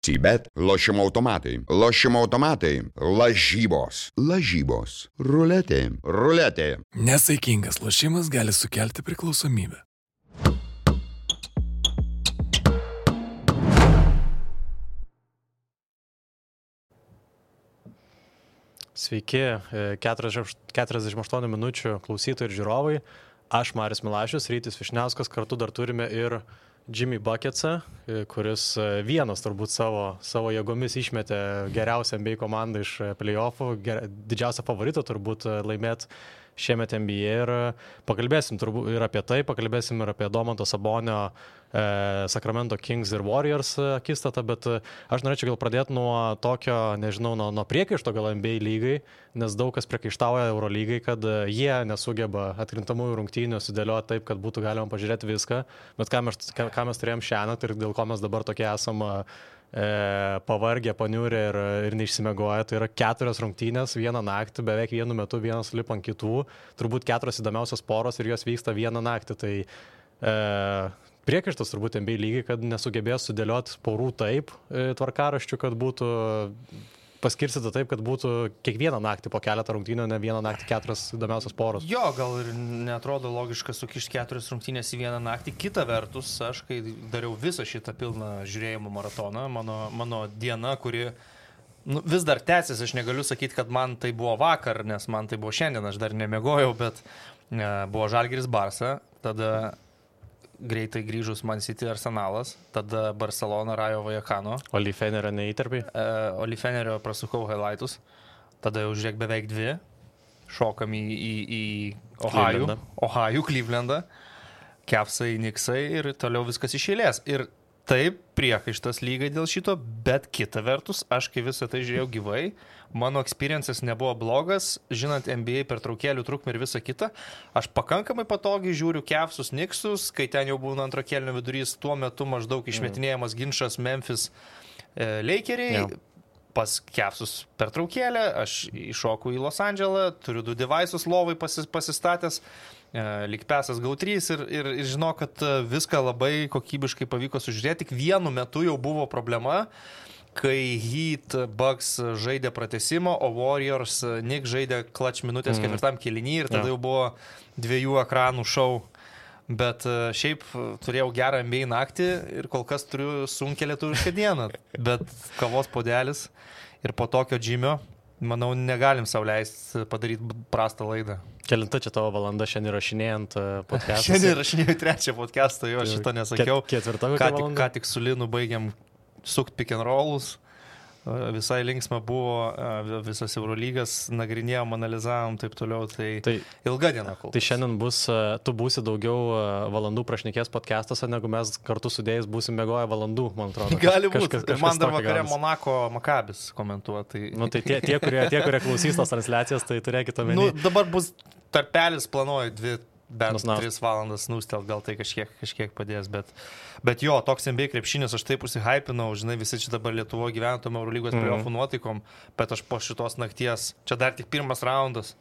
Bet lošimo automatai, lažybos, ruletė. Nesaikingas lošimas gali sukelti priklausomybę. Sveiki, 48 minučių klausytojai ir žiūrovai. Aš Marius Milašius, Rytis Višniauskas, kartu dar turime ir Jimmy Bucketsą, kuris vienas turbūt savo jėgomis išmetė geriausią NBA komandą iš playoffų, didžiausią favoritą turbūt laimėti šiemet NBA ir pakalbėsim turbūt ir apie tai, pakalbėsim ir apie Domanto Sabonio Sacramento Kings ir Warriors akistatą, bet aš norėčiau gal pradėti nuo tokio, nežinau, nuo priekaišto gal NBA lygai, nes daug kas priekaištauja Eurolygai, kad jie nesugeba atkrintamųjų rungtynių sudėlioti taip, kad būtų galima pažiūrėti viską, bet ką mes turėjom šiandien ir dėl ko mes dabar tokie esame pavargę, paniurę ir neišsimiegoję. Tai yra 4 rungtynės vieną naktį, beveik vienu metu vienas lipa ant kitų, turbūt 4 įdomiausios poros ir jos vyksta vieną naktį. Tai priekaištas turbūt NBA lygiai, kad nesugebės sudėlioti porų taip tvarkaraščių, kad būtų paskirstyta taip, kad būtų kiekvieną naktį po keletą rungtynių, ne vieną naktį 4 įdomiausios poros. Jo, gal ir netrodo logiška sukišti 4 rungtynės į vieną naktį. Kita vertus, aš kai dariau visą šitą pilną žiūrėjimo maratoną, mano diena, kuri vis dar tęsis, aš negaliu sakyti, kad man tai buvo vakar, nes man tai buvo šiandien, aš dar nemiegojau, bet buvo Žalgiris Barsa, tada greitai grįžus Man City Arsenalas, tada Barcelona Rayo Vallecano. Olifenerio neįtarpiai? Olifenerio prasukau highlightus, tada jau žiūrėk beveik 2, šokam į Ohio, Clevelandą, Cavsai, Knicksai ir toliau viskas iš eilės. Ir taip, priekaištas lygai dėl šito, bet kita vertus, aš kai visą tai žiūrėjau gyvai, mano experiences nebuvo blogas, žinant NBA pertraukėlių trukmę ir visą kitą, aš pakankamai patogiai žiūriu Cavsus, Knicksus, kai ten jau būna antro kėlinio vidurys, tuo metu maždaug išmetinėjamas ginčas Memphis Lakeriai, pas Cavsus pertraukėlę, aš iššoku į Los Andželą, turiu 2 devices lovai pasistatęs, lyg pesas GAU3 ir žinau, kad viską labai kokybiškai pavyko sužiūrėti. Tik vienu metu jau buvo problema, kai Heat Bucks žaidė pratęsimo, o Warriors Knicks žaidė clutch minutės 4 kėlinį ir tada jau buvo 2 ekranų šou. Bet šiaip turėjau gerą NBA naktį ir kol kas turiu sunkią lietuvišką dieną. Bet kavos puodelis ir po tokio Jimio, manau, negalim sau leisti padaryti prastą laidą. Kelinta čia tavo valanda šiandien rašinėjant podcastą? Šiandien rašinėjau 3 podcastą, jo, šito nesakiau. Ketvirta valanda? Ką tik su Linu baigiam sukt pick and rollus. Visai linksma buvo, visas Eurolygas nagrinėjom, analizavom, taip toliau, tai ilga diena kol. Tai šiandien tu būsi daugiau valandų prašnekės podcastuose, negu mes kartu sudėjus būsim mėgoję valandų, man atrodo. Gali būti. Man dar vakare Monako Makabis komentuoti. Tai tie, kurie klausys tos transliacijas, tai turėkite omeny. Dabar bus tarpelis, planuoju 3 valandas nustel, gal tai kažkiek padės, bet jo, toks NBA krepšinis, aš taip užsihypinau, žinai, visi čia dabar Lietuvoje gyventume Eurolygos playoffų nuotaikom, bet aš po šitos nakties, čia dar tik pirmas raundas.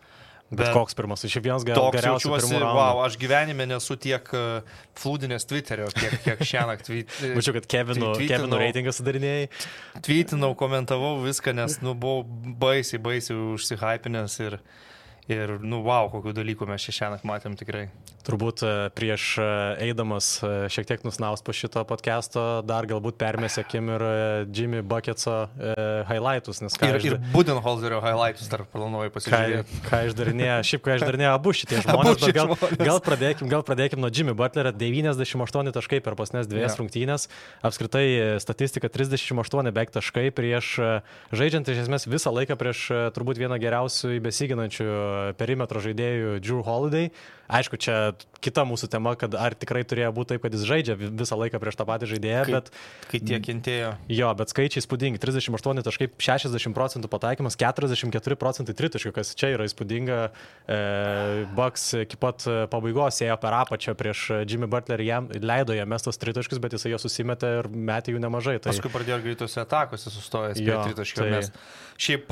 Bet koks pirmas, iš vienas geriausių pirmų raundų. Wow, aš gyvenime nesu tiek flūdinės Twitterio, kiek šiąnakt tweetinau. Mačiau, kad Kevino reitingą sudarinėjai. Tweetinau, komentavau viską, nes buvau baisiai užsihypinęs ir wow, kokių dalykų mes šiąnakt matėm tikrai. Turbūt prieš eidamas šiek tiek nusnaust po šito podcast'o dar galbūt permėsėkim ir Jimmy Bucketso highlightus. Ir Budenholzerio highlightus dar planuoju pasižiūrėti. Ką išdarinėjo abu šitie žmonės, bet gal pradėkim nuo Jimmy Butlerio. 98 taškai per pasnes 2 rungtynės. Apskritai statistika 38 beveik taškai prieš žaidžiant iš esmės visą laiką prieš turbūt vieną geriausių besiginančių perimetro žaidėjų Jrue Holiday. Aišku, čia kita mūsų tema, kad ar tikrai turėjo būti taip, kad jis žaidžia visą laiką prieš tą patį žaidėją, kai tiek kentėjo. Jo, bet skaičiai įspūdingi. 38 taškai, 60% pataikymas, 44% tritaškių, kas čia yra įspūdinga. Bucks iki pat pabaigos ėjo per apačią prieš Jimmy Butlerį, jam leido jam mestos tritaškius, bet jisai jo susimetė ir metė jų nemažai. Paskui pradėjo greitose atakose sustojęs prie tritaškių. Šiaip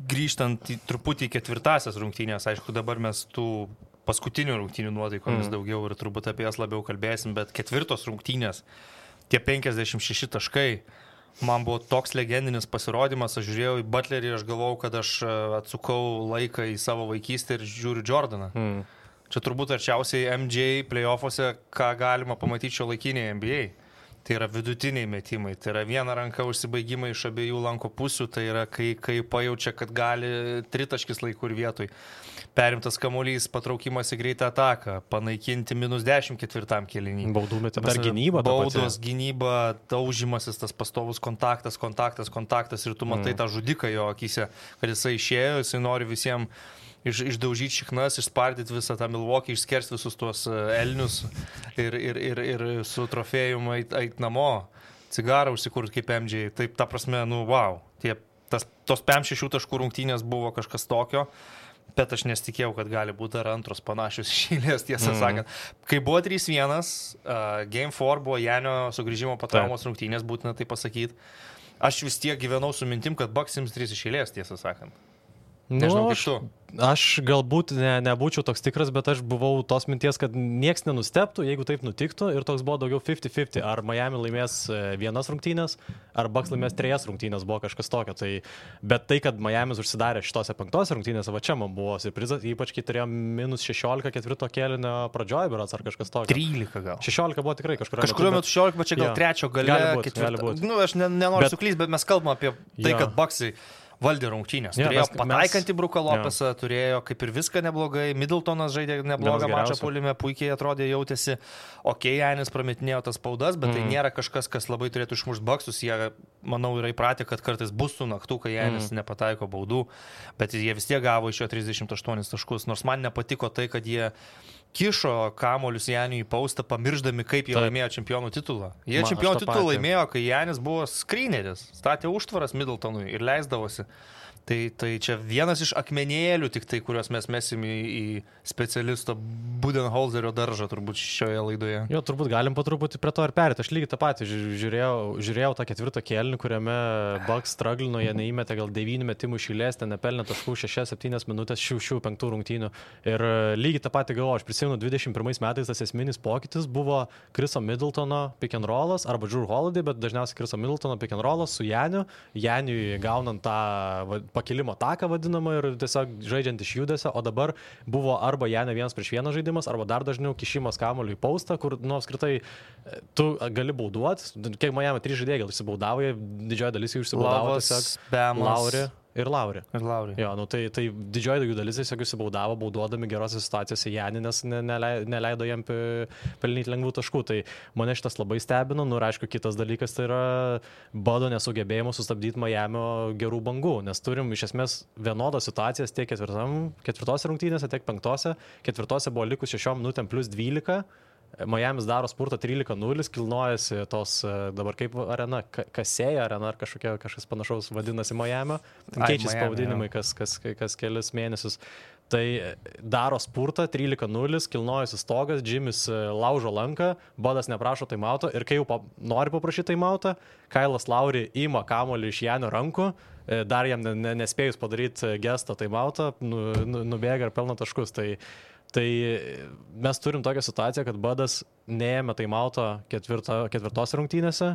grįžtant truputį į 4 rungtynės, aišku, dabar mes tų paskutinių rungtynių nuotaikomis daugiau ir turbūt apie jas labiau kalbėsim, bet 4 rungtynės, tie 56 taškai, Man buvo toks legendinis pasirodymas, aš žiūrėjau į Butlerį ir aš galvojau, kad aš atsukau laiką į savo vaikystę ir žiūriu Jordaną. Čia turbūt arčiausiai MJ playoffuose, ką galima pamatyti šio laikinėje NBA. Tai yra vidutiniai metimai, tai yra viena ranka užsibaigimai iš abiejų lanko pusių, tai yra kai pajaučia, kad gali tritaškis laikų ir vietoj. Perimtas kamuolys, patraukimas į greitą ataką, panaikinti -10 ketvirtam kėlinį. Baudų metimai. Dar gynyba. Baudos, gynyba, taužimasis, tas pastovus kontaktas ir tu matai tą žudiką jo akyse, kad jisai išėjo, jisai nori visiems išdaužyti šiknas, išspardyti visą tą Milwaukee, išskersti visus tuos elnius ir su trofėjum eit namo, cigarą užsikurti kaip MJ. Taip, ta prasme, wow. Tos 5-6 taškų rungtynės buvo kažkas tokio, bet aš nesitikėjau, kad gali būti dar antros panašios išėlės, tiesą sakant. Kai buvo 3-1, Game 4 buvo Janio sugrįžimo po traumos rungtynės, būtina tai pasakyti. Aš vis tiek gyvenau su mintim, kad Bucks ims 3 išėlės, tiesą sakant. Nežinau, kaip tu. Aš galbūt nebūčiau toks tikras, bet aš buvau tos minties, kad nieks nenusteptų, jeigu taip nutiktų, ir toks buvo daugiau 50-50. Ar Miami laimės 1 rungtynės, ar Bucks laimės 3 rungtynės, buvo kažkas tokio. Bet tai, kad Miamis užsidarė šitose 5 rungtynėse, va čia man buvo surprizas, ypač kai turėjo -16 ketvirto kėlinio pradžioje, berods ar kažkas tokio. 13 gal. 16 buvo tikrai kažkurio metu 16, bet čia gal 3 gale, ketvirto. Aš nenoriu suklysti, bet mes kalbam apie tai, kad Bucksai valdė rungtynės. Turėjo pataikantį Bruką Lopesą, turėjo kaip ir viską neblogai. Middletonas žaidė neblogą mačą puolime, puikiai atrodė, jautėsi. Janis prametinėjo tas spaudas, bet tai nėra kažkas, kas labai turėtų išmušti Bucksus. Jie, manau, yra įpratę, kad kartais bus tų naktų, kai Janis nepataiko baudų, bet jie vis tiek gavo iš jo 38 taškus. Nors man nepatiko tai, kad jie kišo kamuolius Janiui į paustą, pamirždami, kaip jie laimėjo čempionų titulą. Jie čempionų titulą laimėjo, kai Janis buvo skryneris, statė užtvaras Middletonui ir leisdavosi. Tai čia vienas iš akmenėlių tik tai, kuriuos mes mesim į specialisto Budenholzerio daržą turbūt šioje laidoje. Jo, turbūt galim po truputį prie to ir perėti. Aš lygiai tą patį žiūrėjau tą 4 kėlinį, kuriame Bucks struglino, jie neįmetė gal 9 metimų iš eilės, ten nepelnė taškų 6-7 minutės šių 5 rungtynių. Ir lygiai tą patį galvoju, aš prisimenu 21 metais tas esminis pokytis buvo Chriso Middletono pick and rollas arba Drew Holiday, bet dažniausiai Chriso Middletono pick and rollas su Janiui gaunant tą pakilimo taką vadinamą ir tiesiog žaidžiant iš judesio, o dabar buvo arba Janio 1-1 žaidimas, arba dar dažniau kišimas kamuoliu į paustą, kur, apskritai, tu gali bauduoti. Kiek Miami 3 žaidėjai gal išsibaudavo, didžioji dalis jų išsibaudavo tiesiog. Lauri. Jo, tai didžioji jų dalis tiesiog išsibaudavo, bauduodami gerose situacijose Janį, nes neleido jam pelnyti lengvų taškų. Tai mane šitas labai stebino. Ir aišku, kitas dalykas tai yra Budo nesugebėjimo sustabdyti Miamio gerų bangų, nes turim iš esmės vienodas situacijas tiek 4 rungtynėse, tiek 5. 4 buvo likus 6 minutėm plus 12. Miamis daro spurtą 13-0, kilnojasi tos dabar kaip arena, Kasėja arena ar kažkas panašaus vadinasi Miamio. Keičiasi pavadinimai kas kelias mėnesius. Tai daro spurtą 13-0, kilnojasi stogas, Jimis laužo lanką, Budas neprašo taimauto ir kai jau nori paprašyti taimauto, Kailas Lauri ima kamuolį iš Janio rankų, dar jam nespėjus padaryti gestą taimauto, nubėga ir pelno taškus. Tai mes turim tokią situaciją, kad Budas neėmė taimauto 4 rungtynėse,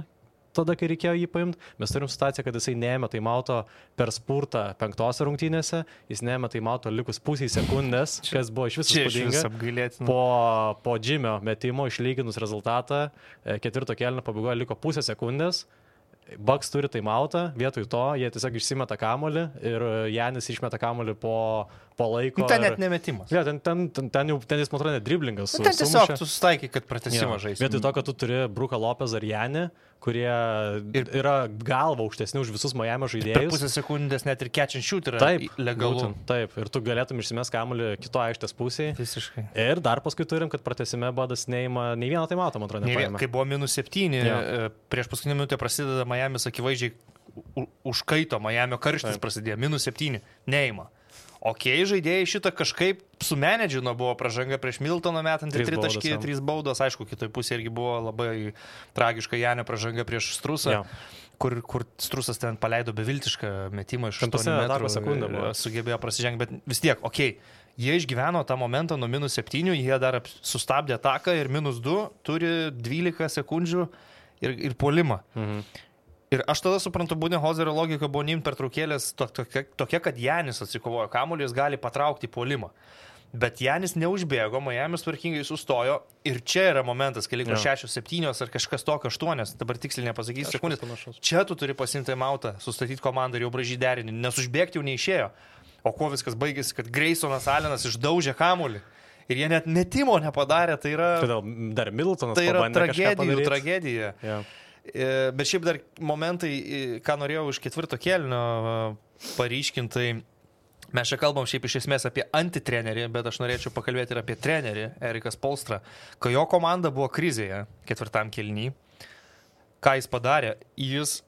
tada, kai reikėjo jį paimti. Mes turim situaciją, kad jisai neėmė taimauto per spurtą 5 rungtynėse, jis neėmė taimauto likus pusei sekundės, kas buvo iš viso įspūdinga. Po Jimio metimo išlyginus rezultatą, 4 kėlinio pabaigoje liko pusę sekundės. Bucks turi taimautą, vietoj to jie tiesiog išsimeta kamuolį ir Janis išmeta kamuolį po laiko. Ten net nemetimas. Ja, ten jis, man atrodo, net driblingas. Ten tiesiog tu sustaikai, kad pratęsimą žaisi. Vietoj to, kad tu turi Bruką Lopezą ar Janį, kurie yra galva aukštesni už visus Miamio žaidėjus. Per pusę sekundės net ir catch and shoot yra legalu. Taip, ir tu galėtum išsimest kamuolį kito aikštės pusėje. Visiškai. Ir dar paskui turim, kad pratęsime Budas neima nei vieną taimauto, man atrodo, nepaėmė. Kai buvo -7, prieš paskutinę minutę prasideda Miamis akivaizdžiai užkaito, Miamio karštis prasidėjo, -7, neima. Žaidėjai šitą kažkaip sumenedžino, buvo pražanga prieš Middletoną metant 3 baudos, aišku, kitoj pusėje irgi buvo labai tragiška Janio pražanga prieš Strusą, kur Strusas ten paleido beviltišką metimą iš 8 metrų, sugebėjo prasižengti, bet vis tiek, jie išgyveno tą momentą nuo -7, jie dar sustabdė ataką ir -2 turi 12 sekundžių ir puolimą. Ir aš tada suprantu, Budenholzerio logika buvo neimti pertraukėlės tokia, kad Janis atsikovojo kamuolį, jis gali patraukti puolimą. Bet Janis neužbėgo, Miamis tvarkingai sustojo ir čia yra momentas, kai liko 6-7 ar kažkas tokio 8, dabar tiksliai nepasakysiu sekundės. Čia tu turi pasimti mautą, sustatyti komandą ir jau bražyti derinį, nes užbėgti jau neišėjo. O kuo viskas baigėsi, kad Graysonas Allenas išdaužė kamuolį ir jie net metimo nepadarė, tai yra... Dar Middletonas tai yra tragedija. Yeah. Bet šiaip dar momentai, ką norėjau iš 4 kėlinio paryškintai, mes čia kalbam šiaip iš esmės apie antitrenerį, bet aš norėčiau pakalbėti ir apie trenerį, Erikas Spoelstra, kai jo komanda buvo krizėje 4 kėlinį. Ką jis padarė? Jis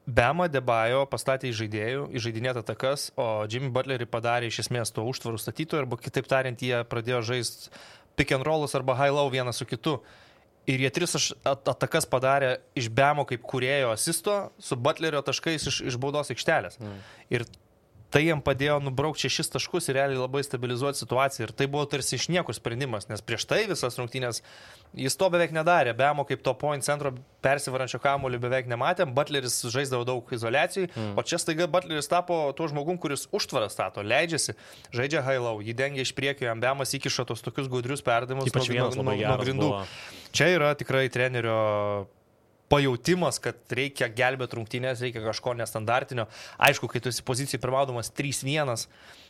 Bemą Debajo pastatė įžaidinėti atakas, o Jimmy Butlerį padarė iš esmės to užtvarų statytojų, arba kitaip tariant, jie pradėjo žaisti pick and rollus arba high low vienas su kitu. Ir jie 3 atakas padarė iš Bemo kaip kūrėjo asisto su Butlerio taškais iš baudos aikštelės. Ir tai jam padėjo nubraukti 6 taškus ir realiai labai stabilizuoti situaciją. Ir tai buvo tarsi iš niekur sprendimas, nes prieš tai visas rungtynės jis to beveik nedarė. Bemo kaip to point centro persivarančio kamuolį beveik nematėm. Butleris žaisdavo daug izoliacijai, o čia staiga Butleris tapo tuo žmogum, kuris užtvarą stato, leidžiasi, žaidžia high low, jį dengia iš priekio, jam Bemas įkiša tos tokius gudrius perdavimus nuo grindų. Čia yra tikrai trenerio pajautimas, kad reikia gelbėti rungtynės, reikia kažko nestandartinio. Aišku, kai tu esi pozicijai pirmaudamas 3-1,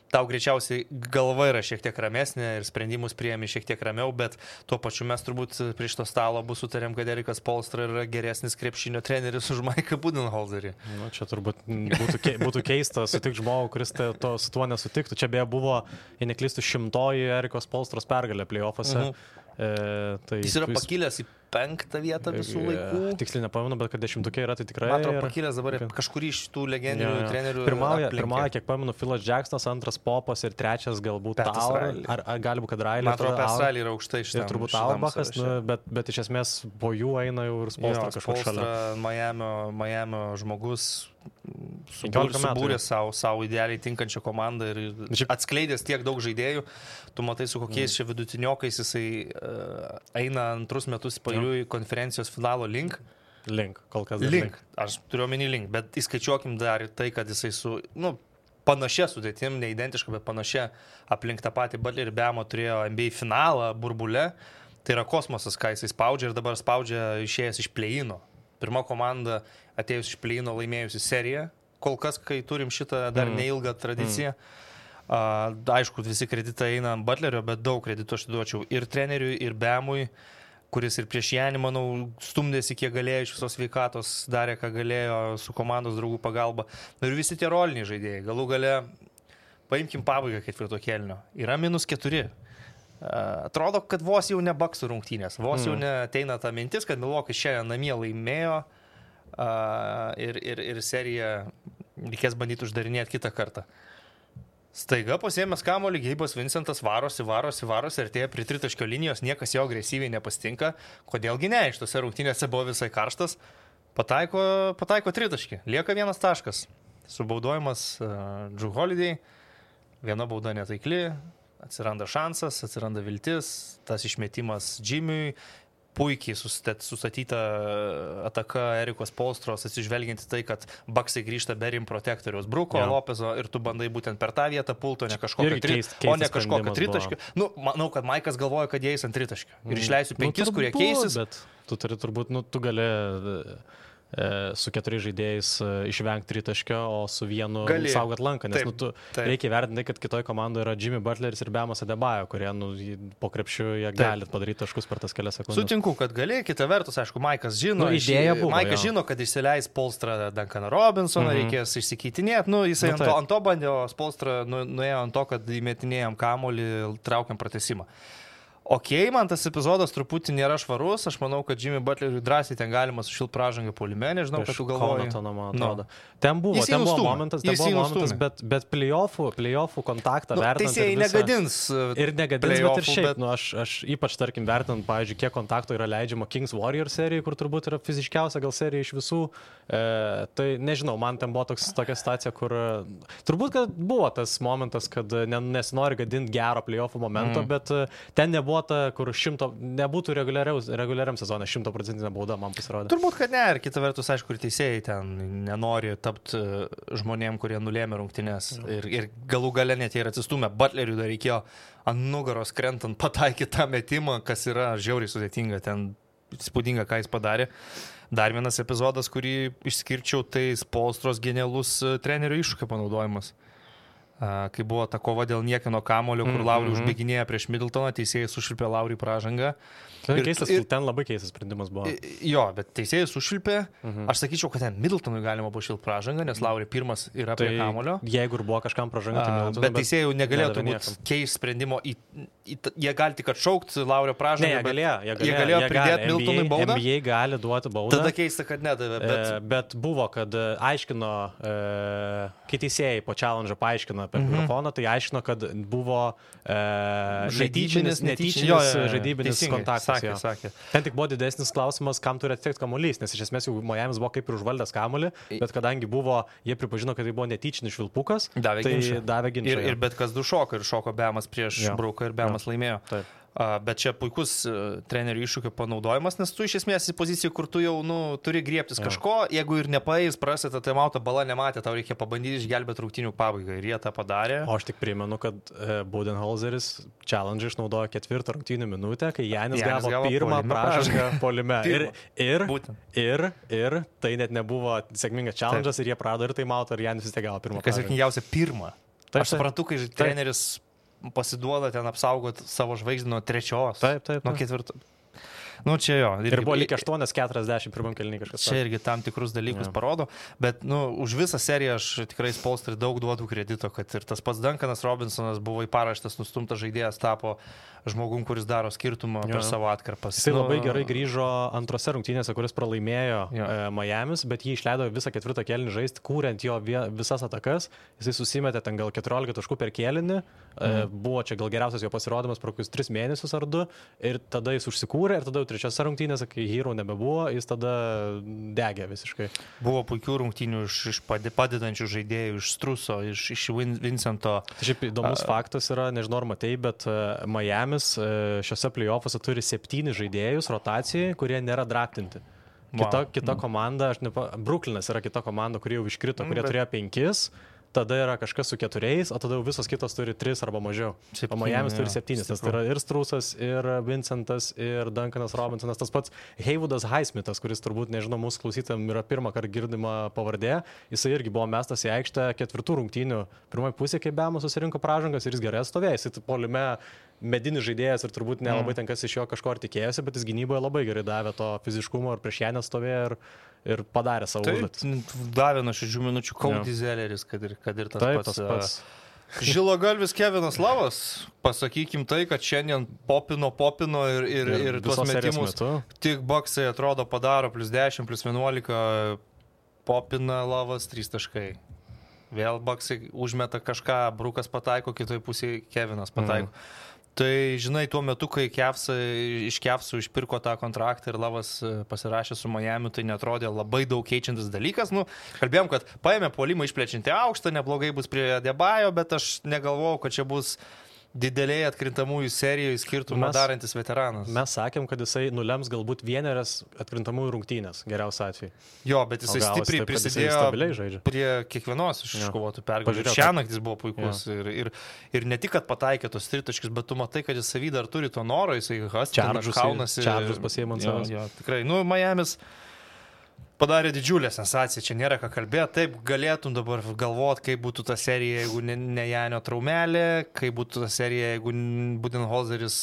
tau greičiausiai galva yra šiek tiek ramesnė ir sprendimus priėmi šiek tiek ramiau, bet tuo pačiu mes turbūt prie šito stalo bus sutarėm, kad Erikas Spoelstra yra geresnis krepšinio treneris už Mike'ą Budenholzerį. Nu, čia turbūt būtų keista sutikti žmogų, kuris su tuo nesutiktų. Čia beje buvo, jei neklystu, 100-oji Erikos Spoelstros pergalė play-offuose. Jis yra pakilęs į 5 vietą visų laikų. Tiksliai nepamenu, bet kad 10-ukė yra, tai tikrai... Man atrodo, pakilęs dabar kurį iš tų legendinių trenerių... Pirmąją, kiek pamenu, Philas Jacksonas, 2 Popas ir 3 galbūt Taur. Ar gali būt, kad Riley... Man atrodo, Australija yra aukštai šitam. Ir turbūt Auerbachas, bet iš esmės po jų eina jau ir Spoelstra kažkur šalia. Miamio žmogus subūrė savo idealiai tinkančią komandą ir atskleidęs tiek daug žaidėjų. Tu matai, su kokiais čia vidutiniokais jisai eina 2 metus pailiui konferencijos finalo link, kol kas link. Aš turiu omeny link, bet įskaičiuokim dar ir tai, kad jisai su panašia sudėtim, ne identiška, bet panašia aplink tą patį Butlerį ir Bemo turėjo NBA finalą burbule. Tai yra kosmosas, ką jisai spaudžia ir dabar spaudžia išėjęs iš play-ino. Pirma komanda atėjus iš play-ino laimėjusi seriją. Kol kas, kai turim šitą dar neilgą tradiciją. Aišku, visi kreditai eina ant Butlerio, bet daug kreditų aš duočiau ir treneriui, ir Bemui, kuris ir prieš Janį, manau, stumdėsi kiek galėjo iš visos sveikatos, darė, ką galėjo su komandos draugų pagalba. Ir visi tie roliniai žaidėjai. Galų gale, paimkim pabaigą 4 kėlinio. Yra -4. Atrodo, kad vos jau ne Bucksų rungtynės. Vos jau neteina ta mintis, kad Milwaukee'is šiandien namie laimėjo ir seriją reikės bandyti uždarinėti kitą kartą. Staiga pasiėmęs kamuolį, Geibas Vincentas varosi ir artėja prie 3 linijos, niekas jo agresyviai nepastinka. Kodėlgi ne, iš tose rungtynėse buvo visai karštas. Pataiko 3, lieka 1 taškas. Subaudojimas Drew Holiday, 1 bauda netaikli, atsiranda šansas, atsiranda viltis, tas išmetimas Jimmy'ui. Puikiai sustatyta ataka Erikos Spoelstros, atsižvelgiant į tai, kad Bucksai grįžta be rim protektoriaus Bruko, Lopezo ir tu bandai būtent per tą vietą pulto, ne kažkokio tritaškio. Manau, kad Maikas galvoja, kad jie eis ant tritaškio. Ir išleisiu 5, kurie keisis. Bet tu turi turbūt, tu gali su 4 žaidėjais išvengti tritaškio, o su 1 saugot lanką, nes reikia vertinti, kad kitoje komandoje yra Jimmy Butleris ir Bemas Adebayo, kurie po krepšiu jie gali padaryti taškus per tas kelias sekundės. Sutinku, kad gali, kita vertus, aišku, Maikas žino, žino, kad išsileis Spoelstra Duncaną Robinsoną, reikės išsikeitinėti, jisai ant to bandė, o Spoelstra nuėjo ant to, kad įmetinėjom kamuolį, traukiam pratesimą. Man tas epizodas truputį nėra švarus, aš manau, kad Jimmy Butleriui drąsiai ten galima sušilti pražangą puolime, nežinau, kad tu galvoji. Ten buvo momentas, bet play-offų kontaktą vertinant. Teisėjai negadins. Ir negadins, bet ir šiaip. Aš ypač, tarkim, vertinant, pavyzdžiui, kiek kontakto yra leidžiama Kings Warrior serijai, kur turbūt yra fiziškiausia gal serija iš visų. Tai nežinau, man ten buvo tokia situacija, kur turbūt, kad buvo tas momentas, kad nesinori gadinti gero play-offų momento, bet ten nebuvo duota, kur nebūtų reguliariam sezone 100% bauda, man pasirodė. Turbūt, kad ne, ir kita vertus, aišku, ir teisėjai ten nenori tapti žmonėm, kurie nulėmė rungtynes. Ir galų gale net ir atsistumė. Butleriui dar reikėjo ant nugaros krentant pataikyti tą metimą, kas yra žiauriai sudėtinga, ten įspūdinga, ką jis padarė. Dar vienas epizodas, kurį išskirčiau, tai Spolstros genialus trenerio iššūkio panaudojimas. Kai buvo ta kova dėl niekino kamulio, kur Lauri užbėginėja prieš Middletoną, teisėjai sušilpė Lauri pražangą. Ten labai keistas sprendimas buvo. Jo, bet teisėjai sušilpė. Aš sakyčiau, kad ten Middletonui galima buvo šilti pražangą, nes Lauri pirmas yra prie kamulio. Jeigu ir buvo kažkam pražanga, tai Middletonui. Bet teisėjai negalėjo turbūt keisti sprendimo. Jie gali tik atšaukti Laurio pražangą. Jie galėjo pridėti Middletonui baudą. NBA gali duoti baudą. Tada keista, kad nedavė. Bet buvo, kad aiškino, kai teisėjai po challenge paaiškino per mikrofoną, tai aiškino, kad buvo netyčinis žaidybinis kontaktas. Sakė. Ten tik buvo didesnis klausimas, kam turi atitekti kamuolys, nes iš esmės jau Miamis buvo kaip ir užvaldęs kamuolį, bet kadangi jie pripažino, kad tai buvo netyčinis švilpukas, davė ginčą. Ir bet kas du šoko, ir šoko Bemas prieš Brauką, ir Bemas laimėjo. Taip. Bet čia puikus trenerių iššūkio panaudojimas, nes tu iš esmės į poziciją, kur tu jau turi griebtis kažko, jeigu ir nepaeis, prasita taimautą, bala nematė, tau reikia pabandyti išgelbėti rungtynių pabaigą ir jie tą padarė. O aš tik primenu, kad Budenholzeris challenge išnaudojo 4 rungtynių minutę, kai Janis gavo pirmą pražangą puolime. Ir tai net nebuvo sėkmingas challenge'as ir jie prarado ir taimautą, ir Janis vis tiek gavo pirmą pražangą. Kas juokingiausia, pirmą. Aš suprantu, kai treneris pasiduoda ten apsaugot savo žvaigždį nuo 3, nuo 4. Čia jo. Ir buvo lyg 8-40 pirmam kėliny kažkas. Čia irgi tam tikrus dalykus parodo, bet už visą seriją aš tikrai Spolstrai daug duodu kredito, kad ir tas pats Duncanas Robinsonas buvo į paraštas nustumtas žaidėjas, tapo žmogum, kuris daro skirtumą per savo atkarpas. Jisai labai gerai grįžo antrose rungtynėse, kuris pralaimėjo Miamis, bet jį išleido visą 4 kėlinį žaisti, kūrent jo visas atakas. Jisai susimetė ten gal 14 taškų per kėlinį. Buvo čia gal geriausias jo pasirodymas per kokius 3 mėnesius ar 2. Ir tada jis užsikūrė ir tada jau 3 rungtynėse, kai Hero nebebuvo, jis tada degė visiškai. Buvo puikių rungtynių iš padedančių žaidėjų, iš Struso, iš Vincento. Šiaip įdomus faktas yra, nežinau ar matei, bet Miamis šiuose play-offuose turi 7 žaidėjus rotacijai, kurie nėra draftinti. Kita komanda, Brooklynas yra kita komanda, kuri jau iškrito, kurie turėjo 5. Tada yra kažkas su 4, o tada jau visos kitos turi 3 arba mažiau. O Miamis turi 7, nes tai yra ir Strusas, ir Vincentas, ir Duncanas Robinsonas. Tas pats Hayvoodas Highsmithas, kuris turbūt, nežinau, mūsų klausytam yra pirmą kartą girdima pavardė. Jisai irgi buvo mestas į aikštę 4 rungtynių. Pirmoji pusė, kai Bemas susirinko pražangas ir jis gerai atstovėjo. Jisai puolime medinis žaidėjas ir turbūt nelabai ten kas iš jo kažko ar tikėjosi, bet jis gynyboje labai gerai davė to fiziškumo ir prieš ją nestovėjo ir padarė savo užduotis. Davė nuo 6 minučių Cody Zelleris, kad ir tas pats. Žilagalvis Kevinas Lavas, pasakykim tai, kad šiandien popino ir tuos metimus tik Bucksai atrodo padaro +10, +11, popina Lavas 3 taškai. Vėl Bucksai užmeta kažką, Brukas pataiko, kitoj pusėje Kevinas pataiko. Tai, žinai, tuo metu, kai iš Kevsų išpirko tą kontraktą ir Lavas pasirašė su Miamiu, tai netrodė labai daug keičiantis dalykas. Kalbėjom, kad paėmė puolimą išplečiantį aukštą, neblogai bus prie Debajo, bet aš negalvojau, kad čia bus dideliai atkrintamųjų serijoje skirtumą darantis veteranas. Mes sakėm, kad jisai nulems galbūt 1 atkrintamųjų rungtynės, geriausiu atveju. Jo, bet jisai stipriai prisidėjo prie kiekvienos iškovotų pergalių. Šiąnakt jis buvo puikus ir ne tik, kad pataikė tos 3 taškus, bet tu matai, kad jis savy dar turi to noro, jisai kaunasi. Čaržus pasiėmant savas. Jo, tikrai. Miamis padarė didžiulę sensaciją, čia nėra ką kalbėti, taip galėtum dabar galvoti, kaip būtų ta serija, jeigu ne Janio traumelė, kaip būtų ta serija, jeigu Budenholzeris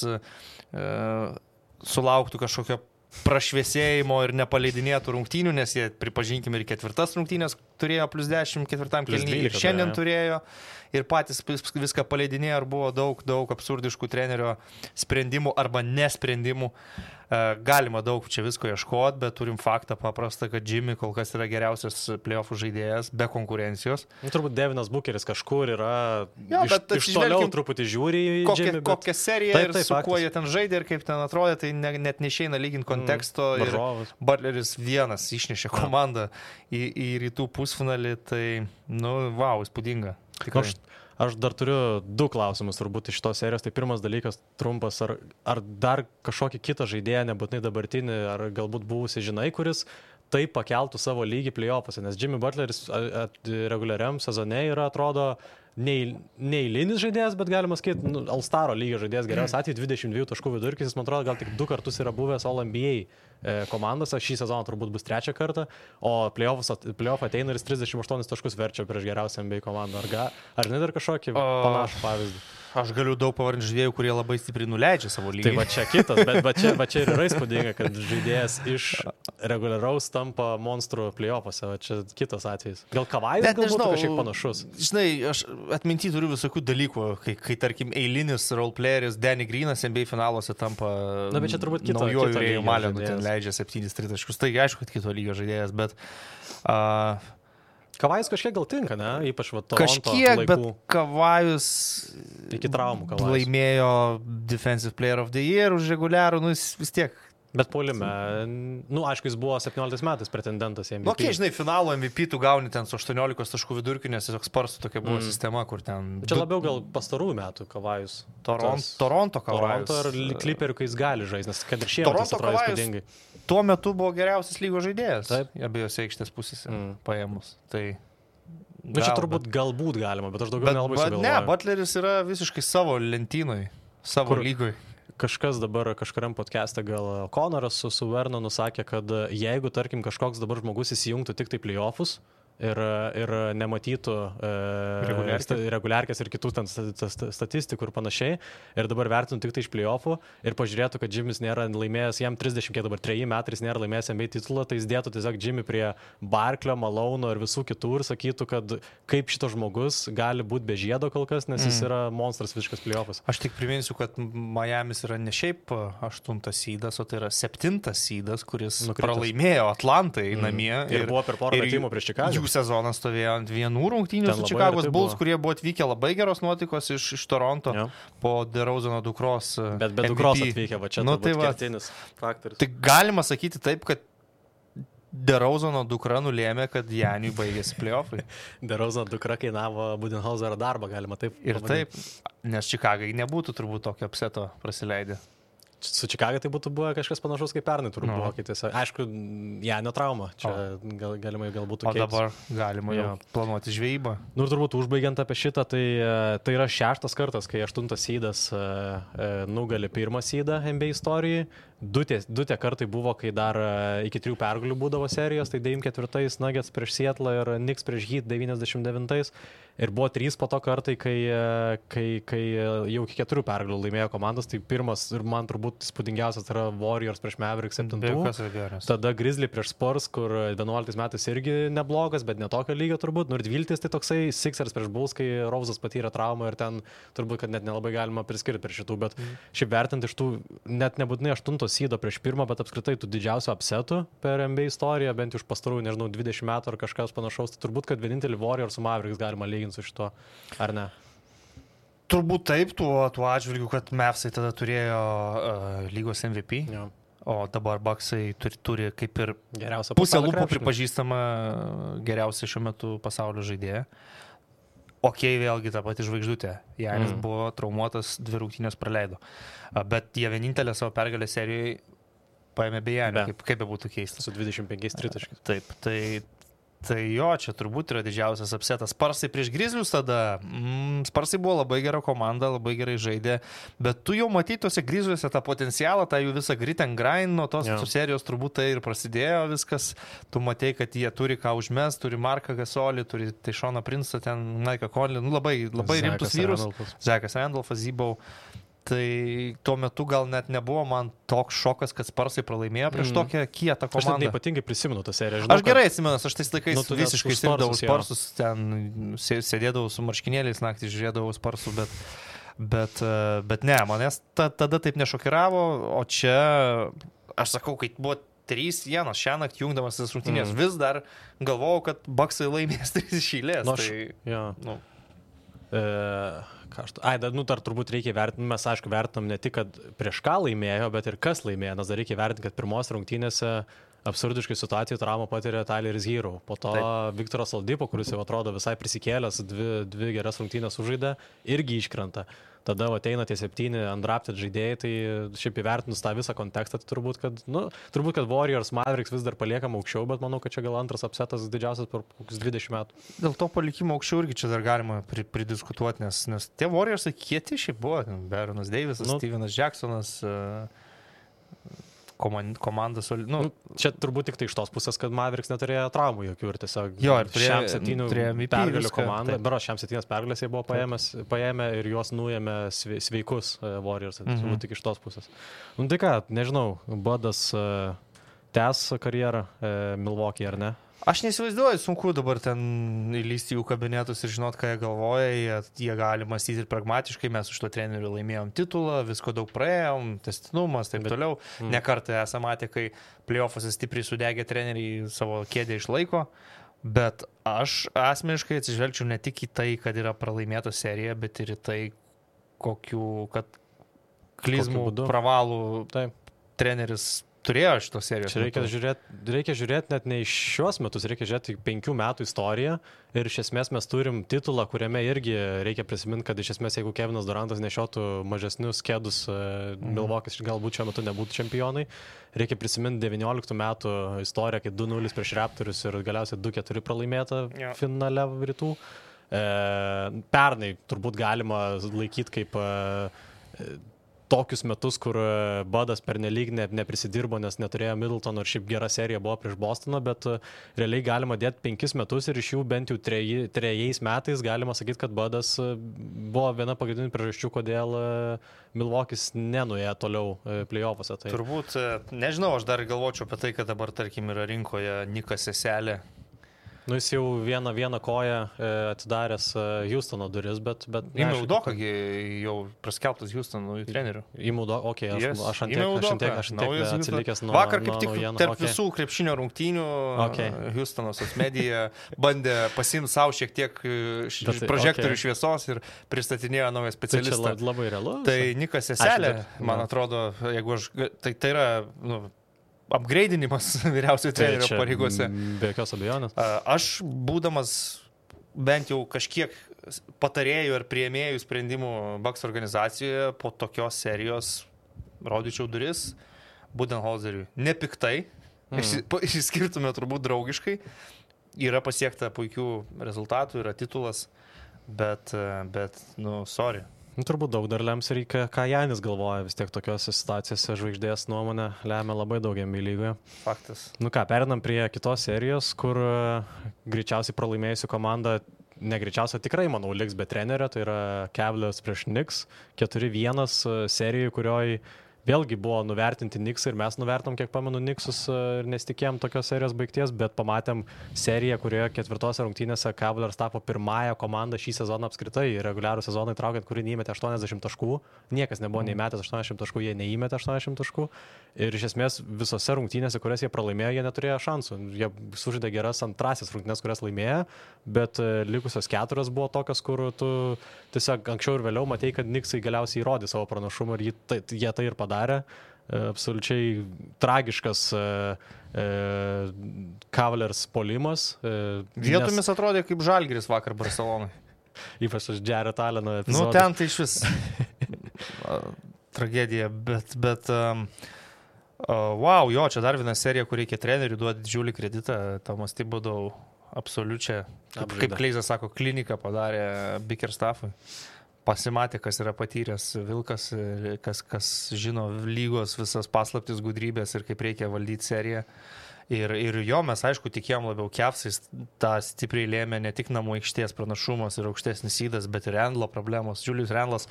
sulauktų kažkokio prašviesėjimo ir nepaleidinėtų rungtynių, nes jie, pripažinkim, ir 4 rungtynės turėjo +10 4 kėlinyje ir šiandien turėjo ir patys viską paleidinėjo ir buvo daug absurdiškų trenerio sprendimų arba nesprendimų. Galima daug čia visko ieškoti, bet turim faktą paprastą, kad Jimmy kol kas yra geriausias playoffų žaidėjas be konkurencijos. Turbūt Devinas Bukeris kažkur yra iš toliau truputį žiūri į Jimmy. Kokią seriją ir su kuo jie ten žaidė ir kaip ten atrodė, tai net neišeina lyginti konteksto. Ir Butleris vienas išnešė komandą į rytų pusfinalį, tai, įspūdinga. Aš dar turiu 2 klausimus turbūt iš šitos serijos. Tai pirmas dalykas trumpas, ar dar kažkokį kitą žaidėją, nebūtinai dabartinį, ar galbūt buvusi žinai, kuris taip pakeltų savo lygį play-offuose, nes Jimmy Butleris reguliariam sezone yra, atrodo, neįlinis žaidėjas, bet galima sakyti, All-Staro lygio žaidėjas, geriausias atveju 22 taškų vidurkis, jis man atrodo gal tik 2 kartus yra buvęs All-NBA komandose, šį sezoną turbūt bus 3 kartą, o play-off ateina ir 38 taškus verčia prieš geriausią NBA komandą. Ar žinai dar kažkokį panašų pavyzdį? Aš galiu daug pavardinti žaidėjų, kurie labai stipriai nuleidžia savo lygį. Tai va čia kitas, bet va čia ir yra įspūdinga, kad žaidėjas iš reguliaraus tampa monstrų play-offuose, va čia kitas atvejis. Gal Kavajus galbūt kažkiek panašus? Žinai, aš atminty turiu visokių dalykų, kai tarkim eilinis roleplayeris Danny Greenas NBA finaluose tampa naujoju Rėjų Malenu, ten leidžia 7 taškus. Tai aišku, kad kito lygio žaidėjas, bet... Kavajus kažkiek gal tinka, ne? Ypač va Toronto kažkiek, laikų. Bet Kavajus iki traumų Kavajus laimėjo Defensive Player of the Year už reguliarų, vis tiek. Bet puolime, aišku, jis buvo 17 metais pretendentas į MVP. Nu, žinai, finalo MVP tu gauni ten su 18 taškų vidurkiu, nes tiesiog Sparsų tokia buvo sistema, kur ten... Čia labiau gal pastarųjų metų Kavajus. Toronto Kavajus. Toronto ir Clipperių, kai jis gali žaisti, nes kad ir šiemet jis atrodo įspūdingai. Tuo metu buvo geriausias lygos žaidėjas. Taip. Abiejose aikštės pusėse paėmus. Tai... čia turbūt galbūt galima, bet aš daugiau nelabai sugalvoju. Ne, Butleris yra visiškai savo lentynoj, savo lygoj. Kažkas dabar kažkuriam podcast'e gal Konoras su Vernonu sakė, kad jeigu, tarkim, kažkoks dabar žmogus įsijungtų tik tai play-offus ir nematytų reguliarkės ir kitų ten statistikų ir panašiai, ir dabar vertintų tik tai iš play-offų ir pažiūrėtų, kad Jimmy's nėra laimėjęs, jam 30, kiek dabar 3 metais nėra laimėjęs NBA titulą, tai jis dėtų tiesiog Jimmy prie Barklio, Malono ir visų kitų ir sakytų, kad kaip šitas žmogus gali būti be žiedo kol kas, nes jis yra monstras visiškas play-offas. Aš tik priminsiu, kad Miami's yra ne šiaip 8 seedas, o tai yra 7 seedas, kuris pralaimėjo Atlantai namie. Ir buvo per porą metimų prieš Čikagą. Sezonas stovėjo ant vienų rungtynių su Čikagos Bulls, kurie buvo atvykę labai geros nuotaikos iš Toronto po DeRozano dukros. Bet be dukros atvykę, va čia kertinis faktorius. Tai galima sakyti taip, kad DeRozano dukra nulėmė, kad Janiui baigėsi play-offai. DeRozano dukra kainavo Budenholzerio darbą, galima taip. Ir taip, nes Čikagai nebūtų turbūt tokio upseto praleidę. Su Čikaga tai būtų buvo kažkas panašaus kaip pernai turbūt buvo. Aišku, Janio trauma. Čia galima galbūt keistis. O dabar galima jau planuoti žvejybą. Ir turbūt užbaigiant apie šitą, tai yra 6 kartas, kai 8 seedas nugali 1 seedą NBA istorijai. 2 kartai buvo, kai dar iki 3 pergalių būdavo serijos, tai 94 Nuggets prieš Seattle ir Knicks prieš Heat 99. Ir buvo 3 po to kartai, kai jau iki 4 pergalių laimėjo komandos. Tai pirmas ir man turbūt įspūdingiausias yra Warriors prieš Mavericks 7. Tada Grizzly prieš Spurs, kur 11 metais irgi neblogas, bet netokio lygio turbūt. Ir 12 tai toksai Sixers prieš Bulls, kai Rose'as patyrė traumą ir ten turbūt, kad net nelabai galima priskirti prie šitų. Bet šiaip vertinti iš tų net nebūtinai 8 seedo prieš 1, bet apskritai tų didžiausių upsetų per NBA istoriją, bent iš pastarųjų, 20 metų ar kažkas panašaus, tai turbūt, kad vienintelį Warriors su Mavericks galima lyginti su šito, ar ne? Turbūt taip, tuo atžvilgiu, kad Mavsai tada turėjo lygos MVP, o dabar Bucksai turi kaip ir pusę lūpų pripažįstama geriausia šiuo metu pasaulio žaidėja. Vėlgi ta pati žvaigždutė. Janis buvo traumuotas, 2 rungtynės praleido. Bet jie vienintelę savo pergalę serijoje paėmė be Janio, kaip be būtų keista. Su 25 tritaškiais. Taip, tai jo, čia turbūt yra didžiausias upsetas. Sparsai prieš Grizzlius tada. Sparsai buvo labai gera komanda, labai gerai žaidė, bet tu jau matei tose Grizzliuose tą potencialą, tą jų visą grit and grind, nuo tos serijos turbūt tai ir prasidėjo viskas. Tu matei, kad jie turi ką užmes, turi Marką Gasolį, turi Tayshauna Prince'ą, ten Mike'ą Conley, labai rimtus vyrus. Zekas Randolphas, Zybau. Tai tuo metu gal net nebuvo man toks šokas, kad Sparsai pralaimėjo prieš tokią kietą komandą. Aš neypatingai prisimenu tą seriją. Aš gerai atsimenu, aš tais laikais visiškai sirgdavau Sparsus, ten sėdėdavau su marškinėliais naktį, žiūrėdavau Sparsų, bet ne, manęs tada taip nešokiravo, o čia, aš sakau, kai buvo 3-1 šią naktį jungdamas tas rungtynės, vis dar galvojau, kad Bucksai laimės 3 iš eilės. Dar turbūt reikia vertinti, mes aišku vertinam ne tik, kad prieš ką laimėjo, bet ir kas laimėjo, nes dar reikia vertinti, kad pirmos rungtynėse absurdiškai situacijų traumą patyrė Tyleris Hero. Po to Viktoras Oladipo, kuris jau atrodo visai prisikėlęs, dvi geras rungtynės sužaidė, irgi iškrenta. Tada ateina tie 7 undrafted žaidėjai, tai šiaip įvertinus tą visą kontekstą, tai turbūt, kad Warriors Mavericks vis dar paliekam aukščiau, bet manau, kad čia gal antras upsetas didžiausias per kokius 20 metų. Dėl to palikimo aukščiau irgi čia dar galima pridiskutuoti, nes tie Warriors kieti šiaip buvo. Baronas Davisas, Stevenas Jacksonas, komandas. Čia turbūt tik tai iš tos pusės, kad Mavericks neturėjo traumų jokių ir tiesiog šiam 7 pergalių komandą. Šiam 7 pergalės jie buvo paėmę ir juos nuėmė sveikus Warriors. Turbūt tik iš tos pusės. Tai ką, nežinau, Budas tęs karjerą Milwaukee ar ne? Aš neįsivaizduoju, sunku dabar ten įlysti jų kabinetus ir žinot, ką jie galvoja. Jie gali mąstyti ir pragmatiškai, mes už to trenerių laimėjom titulą, visko daug praėjom, tęstinumas, taip toliau. Ne kartą esame matę, kai playoffuose stipriai sudegę treneriai savo kėdę išlaiko. Bet aš asmeniškai atsižvelgčiau ne tik į tai, kad yra pralaimėta serija, bet ir į tai, kad klizmų, pravalų treneris turėjo šitos serijos. Reikia žiūrėti net ne iš šios metus, reikia žiūrėti 5 metų istoriją ir iš esmės mes turim titulą, kuriame irgi reikia prisiminti, kad iš esmės jeigu Kevinas Durantas nešiotų mažesnius kėdus, Milwaukee'is galbūt šiuo metu nebūtų čempionai. Reikia prisiminti 19 metų istoriją, kai 2-0 prieš Raptorius ir galiausiai 2-4 pralaimėta finale rytų. Pernai turbūt galima laikyti kaip tokius metus, kur Budas pernelyg neprisidirbo, nes neturėjo Middletono ir šiaip gera serija buvo prieš Bostoną, bet realiai galima dėti 5 metus ir iš jų bent jau 3 metais galima sakyti, kad Budas buvo viena pagrindinių priežasčių, kodėl Milwaukee'is nenuėjo toliau playoffuose. Tai... Turbūt, nežinau, aš dar galvočiau apie tai, kad dabar, tarkim, yra rinkoje Nikas Seselė. Jis jau vieną koją atidaręs Houstono duris, bet... Ime Udoka jau praskelbtas Houstono trenerių. Ime Udoka, aš antiek atsilikęs nuo vakar kaip tik tarp visų krepšinio rungtynių Houstono socmedia bandė pasimti savo šiek tiek prožektorių šviesos ir pristatinėjo naują specialistą. Čia labai realu. Tai Nikas Seselė, man atrodo, jeigu aš... Tai yra... upgraidinimas vyriausiojo trenerio pareigose. Be jokios abejonės. Aš, būdamas bent jau kažkiek patarėjų ir priėmėjų sprendimų Bucks organizacijoje, po tokios serijos rodyčiau duris Budenholzeriui. Nepiktai, išskirtume turbūt draugiškai, yra pasiekta puikių rezultatų, yra titulas, bet sorry. Turbūt daug dar lems ir ką Janis galvoja, vis tiek tokiose situacijose žvaigždės nuomonė lemia labai daug NBA lygoje. Faktas. Perinam prie kitos serijos, kur greičiausiai pralaimėjusi komanda, negreičiausiai tikrai, manau, liks be trenerio, tai yra Cavaliers prieš Knicks, 4-1 serijai, kurioj vėlgi buvo nuvertinti Knicksai ir mes nuvertom, kiek pamenu, Knicksus ir nesitikėjom tokios serijos baigties, bet pamatėm seriją, kurioje 4 rungtynėse Cavaliers tapo pirmąją komandą šį sezoną apskritai, reguliarų sezoną įtraukiant, kuri neįmetė 80 taškų, niekas nebuvo neįmetęs 80 taškų, jie neįmetė 80 taškų ir iš esmės visose rungtynėse, kurias jie pralaimėjo, jie neturėjo šansų. Jie sužaidė geras antrasis rungtynės, kurias laimėjo, bet likusios 4 buvo tokios, kur tu tiesiog anksčiau ir vėliau matei, kad Knicksai galiausiai įrodė savo pranašumą ir jie tai ir padarė. Absoliučiai tragiškas Cavaliers polimas. Vietomis atrodė kaip Žalgiris vakar Barcelonai. Ypač aš Jared Alleno epizodą. Ten tai iš vis tragedija, bet wow, čia dar viena serija, kur reikia trenerių duoti didžiulį kreditą. Tomas Thibodeau absoliučią, kaip Kleizas sako, kliniką padarė Bickerstaffui. Pasimatė, kas yra patyręs Vilkas, kas žino lygos visas paslaptis, gudrybės ir kaip reikia valdyti seriją. Ir jo mes, aišku, tikėjom labiau Cavsais, tą stipriai lėmė ne tik namų aikštės pranašumas ir aukštesnis įdas, bet ir Randlo problemos. Julius Randlas,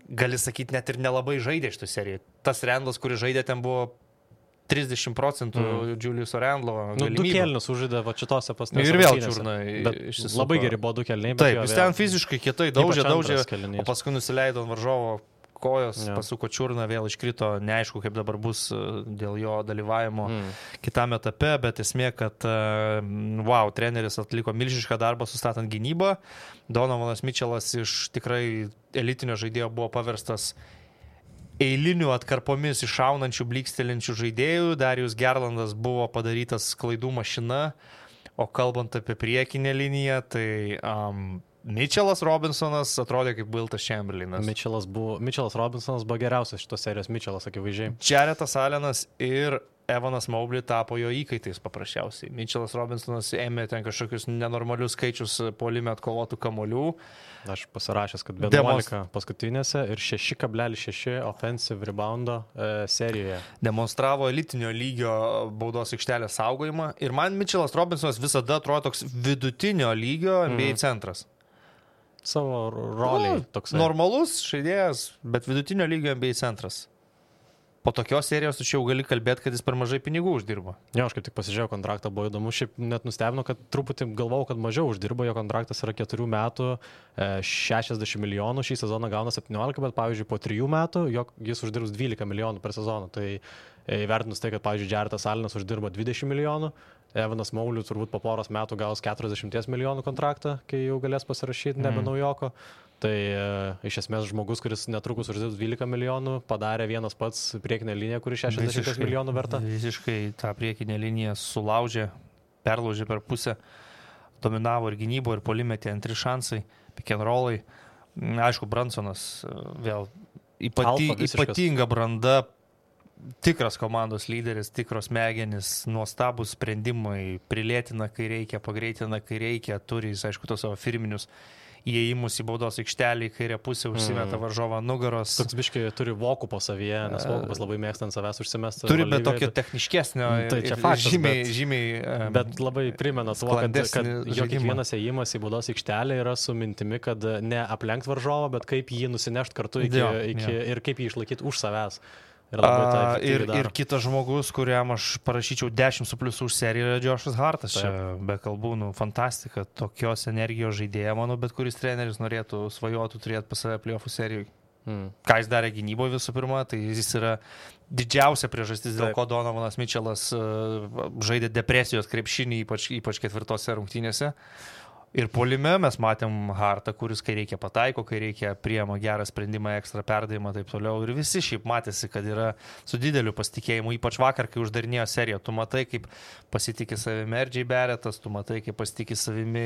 gali sakyti, net ir nelabai žaidė šitą seriją. Tas Randlas, kuris žaidė, ten buvo 30% Julius Randlo galimybių. 2 kelnius užžaidė šitose pastarose. Ir vėl čiurnai. Labai geri buvo 2 kelniai. Taip, jis ten fiziškai kietai daužė, o paskui nusileido ant varžovo kojos, pasuko čiurną, vėl iškrito, neaišku, kaip dabar bus dėl jo dalyvavimo kitame etape, bet esmė, kad treneris atliko milžinišką darbą sustatant gynybą. Donovanas Mitchellas iš tikrai elitinio žaidėjo buvo paverstas eilinių atkarpomis iššaunančių, blikstelinčių žaidėjų. Darius Gerlandas buvo padarytas klaidų mašina, o kalbant apie priekinę liniją, tai Mitchellas Robinsonas atrodė kaip Wiltas Chamberlainas. Mitchellas Robinsonas buvo geriausias šitos serijos Mitchellas, akivaizdžiai. Jaretas Allenas ir Evanas Mobley tapo jo įkaitais paprasčiausiai. Mitchellas Robinsonas ėmė ten kažkokius nenormalius skaičius puolime atkovotų kamuolių. Aš pasirašęs, kad 11 paskutinėse ir 6,6 offensive reboundo serijoje. Demonstravo elitinio lygio baudos aikštelės saugojimą. Ir man Mitchellas Robinsonas visada atrodo toks vidutinio lygio NBA centras. Savo roliai toksai. Normalus žaidėjas, bet vidutinio lygio NBA centras. Po tokios serijos tu čia jau gali kalbėti, kad jis per mažai pinigų uždirba. Jo, aš kaip tik pasižiūrėjau kontraktą, buvo įdomu, šiaip net nustebino, kad truputį galvau, kad mažiau uždirba, jo kontraktas yra 4 metų, 60 milijonų, šį sezoną gauna 17, bet pavyzdžiui po 3 metų jis uždirbs 12 milijonų per sezoną. Tai įvertinus tai, kad pavyzdžiui Jaretas Allenas uždirba 20 milijonų, Evanas Mobley turbūt po poros metų gaus 40 milijonų kontraktą, kai jau galės pasirašyti nebe naujoko. Tai iš esmės žmogus, kuris netrukus uždirbs 12 milijonų, padarė vienas pats priekinę liniją, kuri 60 milijonų verta. Visiškai tą priekinę liniją sulaužė, perlaužė per pusę, dominavo ir gynybo, ir polimetė antri šansai, pick and rollai. Aišku, Brunsonas vėl ypatinga branda, tikras komandos lyderis, tikros smegenys, nuostabus sprendimai, prilėtina, kai reikia, pagreitina, kai reikia, turi jis, aišku, tos savo firminius įėjimus į baudos aikštelį, kairę pusę užsimeta varžovą nugaros. Toks biškai turi vokų po savyje, nes vokupas labai mėgsta ant savęs užsimesti. Turi bet tokio techniškesnio, tai čia faktas, žymiai bet labai primena tuo, kad jo kiekvienas įėjimas į baudos aikštelę yra su mintimi, kad ne aplenkt varžovą, bet kaip jį nusinešti kartu ir kaip jį išlaikyti už savęs. Ir kitas žmogus, kuriam aš parašyčiau 10 su pliusu už seriją, yra Joshas Hartas. Čia be kalbų, fantastika, tokios energijos žaidėja, manau, bet kuris treneris norėtų svajotų turėti pas save playoffų serijų. Ką jis darė gynyboje visų pirma, tai jis yra didžiausia priežastis, dėl ko Donovanas Mitchellas žaidė depresijos krepšinį, ypač ketvirtose rungtynėse. Ir puolime mes matėm Hartą, kuris kai reikia pataiko, kai reikia priema gerą sprendimą, ekstra perdavimą, taip toliau. Ir visi šiaip matėsi, kad yra su dideliu pasitikėjimu, ypač vakar, kai uždarinėjo seriją. Tu matai, kaip pasitikė savimi RJ Barrettas, tu matai, kaip pasitikė savimi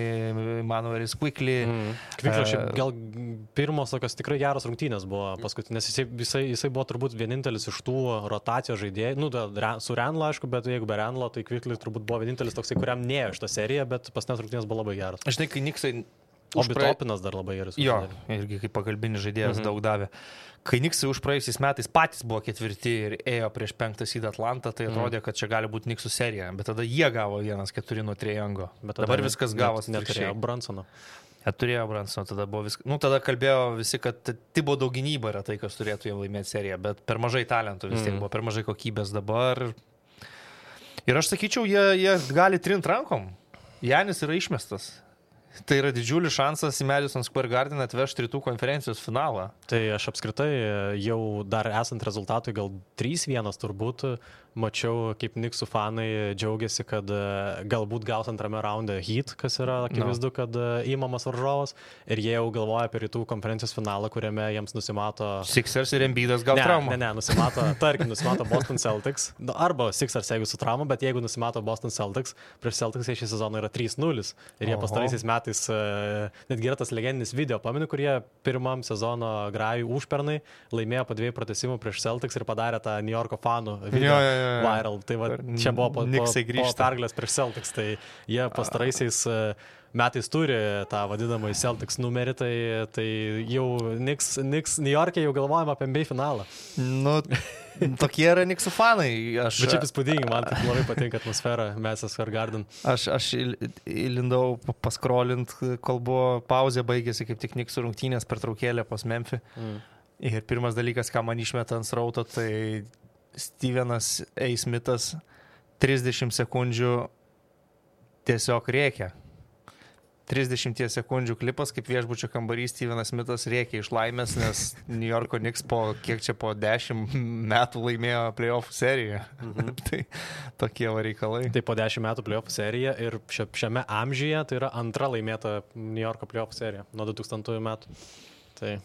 Manuelis Quickly. Quickly šiaip gal pirmos tokios tikrai geros rungtynės buvo paskutinės. Jisai buvo turbūt vienintelis iš tų rotacijos žaidėjų. Su Renlo, aišku, bet jeigu be Renlo, tai Quickly turbūt buvo vienintelis toksai, kuriam nėjo šitą seriją, bet paskutinės rungtynės buvo labai geros. Žinai, kai Niksai... Obitopinas dar labai gerai susidėjo. Jo, irgi kaip pagalbinis žaidėjas daug davė. Kai Niksai už praėjusiais metais patys buvo 4 ir ėjo prieš 5 seed Atlantą, tai atrodė, kad čia gali būti Niksų serija. Bet tada jie gavo 1-4 nuo Trae-Youngo. Bet dabar viskas gavosi. Neturėjo Brunsono. Turėjo Brunsono, tada buvo viskas. Tada kalbėjo visi, kad Thibodeau gynyba yra tai, kas turėtų jam laimėti seriją. Bet per mažai talentų vis tiek buvo, per mažai kokybės dabar. Ir aš sakyčiau, jie gali trint rankom. Janis yra išmestas. Tai yra didžiulis šansas į Madison Square Garden atvežti rytų konferencijos finalą. Tai aš apskritai jau dar esant rezultatui gal 3-1 turbūt mačiau, kaip Knicksų fanai džiaugiasi, kad galbūt gaus antrame raunde Heat, kas yra akivaizdu, kad įmamas varžovas. Ir jie jau galvoja apie rytų konferencijos finalą, kuriame jiems nusimato... Sixers ir Embiidas gal traumą. Nusimato Boston Celtics. Arba Sixers, jeigu su trauma, bet jeigu nusimato Boston Celtics, prieš Celtics šį sezoną yra 3-0. Ir jie pastaraisiais metais, netgi yra tas legendinis video, pamenu, kurie pirmam sezono grajų užpernai laimėjo po 2 pratęsimų prieš Celtics ir padarė tą New Yorko fanų video. Viral. Tai va, čia buvo po pergalės prieš Celtics, tai jie pastaraisiais metais turi tą vadinamą Celtics numerį, tai jau New York'e jau galvojame apie NBA finalą. Tokie yra Knicksų fanai. Bet čia įspūdingai, man tai labai patinka atmosfera Madison Square Garden. Aš įlindau paskrolint, kol buvo pauzė, baigėsi kaip tik Knicksų rungtynės pertraukėlė pas Memphį. Ir pirmas dalykas, ką man išmeta ant srauto, tai Stevenas A. Smithas 30 sekundžių tiesiog rėkia. 30 sekundžių klipas, kaip viešbučio kambarys Stevenas Smithas rėkia iš laimės, nes New Yorko Knicks po 10 metų laimėjo playoff seriją. Tai tokie reikalai. Tai po 10 metų playoff serija ir šiame amžiuje tai yra antra laimėta New Yorko playoff serija nuo 2000 metų. Tai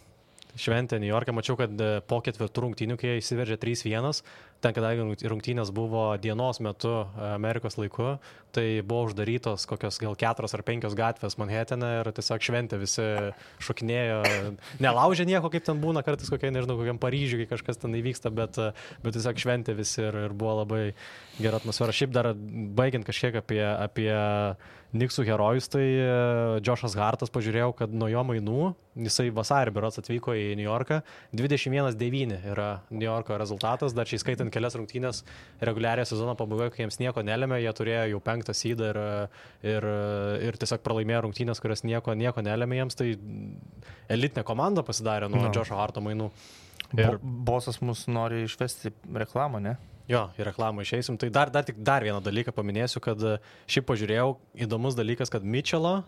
šventė New York'e, mačiau, kad po 4 rungtynių, kai jie įsiveržė 3-1, ten, kadangi rungtynės buvo dienos metu Amerikos laiku, tai buvo uždarytos kokios gal 4 ar 5 gatvės Manhattane ir tiesiog šventė, visi šokinėjo, nelaužė nieko, kaip ten būna, kartais kokiam Paryžiui, kai kažkas ten įvyksta, bet tiesiog šventė visi ir buvo labai gera atmosfera. Šiaip dar baigiant kažkiek apie Knicksų herojus, tai Joshas Hartas, pažiūrėjau, kad nuo jo mainų, jisai vasarį berods atvyko į New Yorką, 21-9 yra New Yorko rezultatas, dar čia įskaitant kelias rungtynės reguliariojo sezono pabaigoje, kai jiems nieko nelėmė, jie turėjo jau 5 seedą ir tiesiog pralaimėjo rungtynės, kurios nieko nelėmė jiems, tai elitinė komanda pasidarė nuo Josho Harto mainų. Ir bosas mus nori išvesti reklamą, ne? Jo, į reklamą išeisim. Tai dar vieną dalyką paminėsiu, kad šiaip pažiūrėjau, įdomus dalykas, kad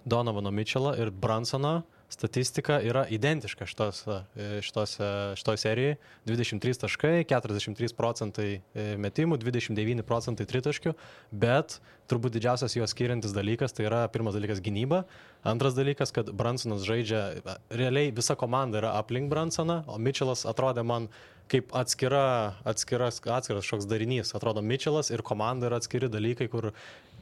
Donovano Mitchell'o ir Brunsono statistika yra identiška šitoj serijai. 23 taškai, 43% metimų, 29% tritaškių, bet turbūt didžiausias juos skiriantis dalykas, tai yra pirmas dalykas gynyba, antras dalykas, kad Brunsonas žaidžia, realiai visa komanda yra aplink Brunsoną, o Mitchell'as atrodė man kaip atskiras šoks darinys. Atrodo, Mitchell'as ir komanda yra atskiri dalykai, kur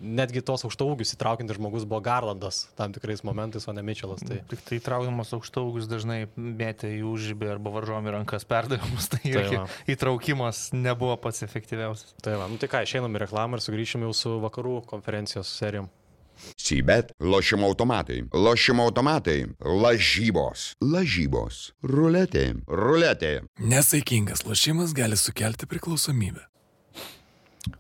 netgi tos aukštaūgius įtraukiantis žmogus buvo Garlandas tam tikrais momentais, o ne Mitchell'as. Tik tai įtraukiamas aukštaūgius dažnai mėtė į užžibį arba varžomi rankas perdavimus, tai irgi įtraukimas nebuvo pats efektyviausias. Tai va, tai ką, išeinam į reklamą ir sugrįšim jau su vakarų konferencijos serijom. Sybet, lošimo automatai, lažybos, ruletė. Nesaikingas lošimas gali sukelti priklausomybę.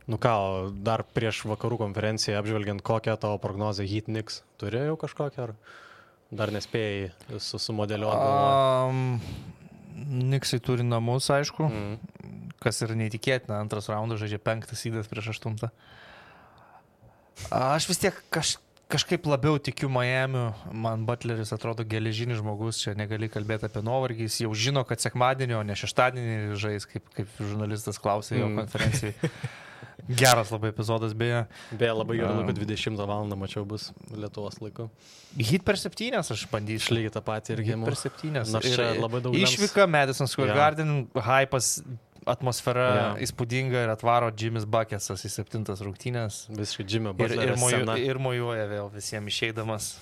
Nu ką, dar prieš vakarų konferenciją apžvelgiant, kokią tavo prognozę Heat Knicks turėjo kažkokią, ar dar nespėjai sumodeliuoti? Knicksai turi namus, aišku, kas yra neįtikėtina, antras raundas žaidžia 5 seedas prieš 8. Aš vis tiek kažkaip labiau tikiu Miamiu, man Butleris atrodo geležinis žmogus, čia negali kalbėti apie nuovargį, jis jau žino, kad sekmadienį, o ne šeštadienį žais, kaip žurnalistas klausė jo konferencijai. Geras labai epizodas, beje. Beje, labai gerai laiku 20 valandą, mačiau, bus Lietuvos laiku. Heat per 7 aš bandysiu. Išlygiai tą patį irgi. Per 7. Nors čia labai daug išvyka, Madison Square Garden, hypas, atmosfera įspūdinga ir atvaro Jimmy's Bucketsas į 7 rungtynės. Visiškai Jimmy Butlerio scena. Ir mojuoja vėl visiems išeidamas.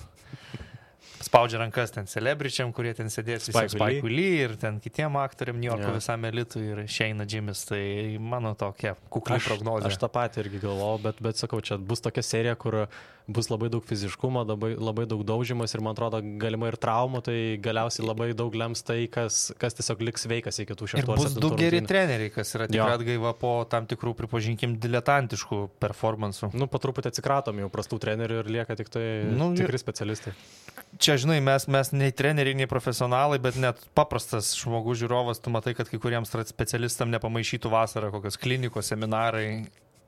Spaudžia rankas ten celebričiam, kurie ten sėdės, Spike Lee ir ten kitiem aktoriam New Yorko visam elitui ir išeina Jimmy's. Tai mano tokia kukli prognozė. Aš tą patį irgi galvojau, bet sakau, čia bus tokia serija, kur bus labai daug fiziškumo, labai daug daužimas ir man atrodo galimai ir traumų, tai galiausiai labai daug lems tai, kas tiesiog liks sveikas iki tų 6-7 rungtynių. Ir bus du geri treneriai, kas yra tikrai atgaiva po tam tikrų, pripažinkim, diletantiškų performansų. Nu, po truputį atsikratom jau prastų trenerių ir lieka tik tai tikri specialistai. Čia, žinai, mes nei treneriai, nei profesionalai, bet net paprastas žmogus žiūrovas, tu matai, kad kai kuriems specialistam nepamaišytų vasarą kokios klinikos, seminarai,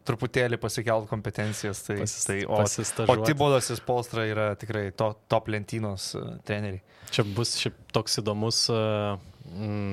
truputėlį pasikelt kompetencijas. O Thibodeau'as ir Spoelstra yra tikrai top lentynos treneriai. Čia bus toks įdomus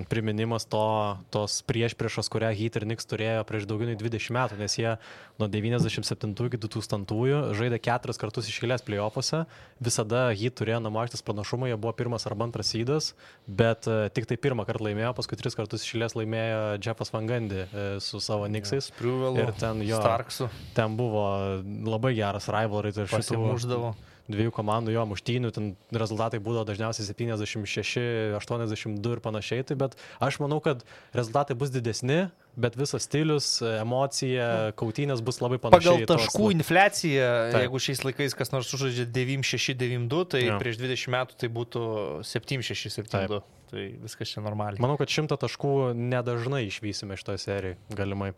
priminimas tos priešpriešos, kurią Heat ir Knicks turėjo prieš daugiau nei 20 metų, nes jie nuo 97 iki 2000 žaidė 4 kartus iš eilės play-offuose. Visada Heat turėjo namų aikštės pranašumą, jie buvo 1 arba 2 seedas, bet tik tai 1 kartą laimėjo, paskui 3 kartus iš eilės laimėjo Jeffas Van Gundy su savo Knicksais. Ir ten Starksu. Ten buvo labai geras rivalry ir pasimuždavo. Dviejų komandų muštynių, ten rezultatai būdavo dažniausiai 76, 82 ir panašiai, bet aš manau, kad rezultatai bus didesni, bet visas stilius, emocija, kautynės bus labai panašiai. Pagal taškų infliaciją, jeigu šiais laikais kas nors sužaidžia 9-6, 9-2, tai prieš 20 metų tai būtų 7-6, 7-2. Tai viskas čia normaliai. Manau, kad 100 taškų nedažnai išvysime šitoje serijoje, galimai.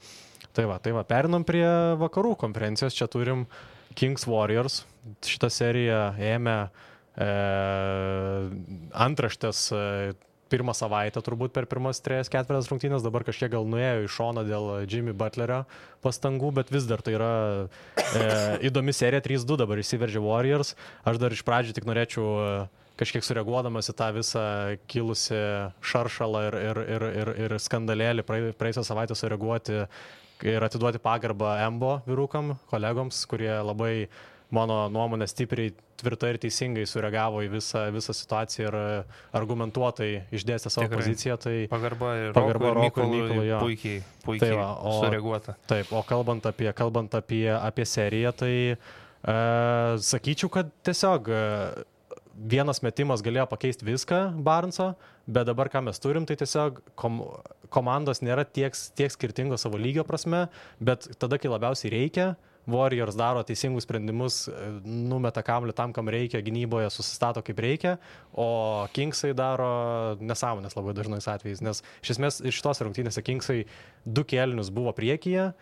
Tai va, perinam prie vakarų konferencijos, čia turim Kings Warriors. Šitą seriją ėmė antraštės pirmą savaitę turbūt per pirmas 3-4 rungtynės, dabar kažkiek gal nuėjo į šoną dėl Jimmy Butlerio pastangų, bet vis dar tai yra įdomi serija, 3-2 dabar įsiveržė Warriors. Aš dar iš pradžių tik norėčiau kažkiek sureaguodamas į tą visą kilusi šaršalą ir skandalėlį praėjusią savaitę sureaguoti ir atiduoti pagarbą Embo vyrukam, kolegoms, kurie labai, mano nuomonė, stipriai, tvirtai ir teisingai sureagavo į visą situaciją ir argumentuotai išdėstė savo poziciją. Tai pagarba Rokui ir Mykolui, jo. Puikiai tai sureaguota. Taip, o kalbant apie seriją, tai sakyčiau, kad tiesiog vienas metimas galėjo pakeisti viską Barnso, bet dabar ką mes turim, tai tiesiog komandos nėra tiek skirtingos savo lygio prasme, bet tada, kai labiausiai reikia, Warriors daro teisingus sprendimus, numeta kamuolį tam, kam reikia, gynyboje susistato kaip reikia, o Kingsai daro nesąmonės labai dažnais atvejais, nes iš esmės iš šitos rungtynėse Kingsai 2 kėlinius buvo priekyje,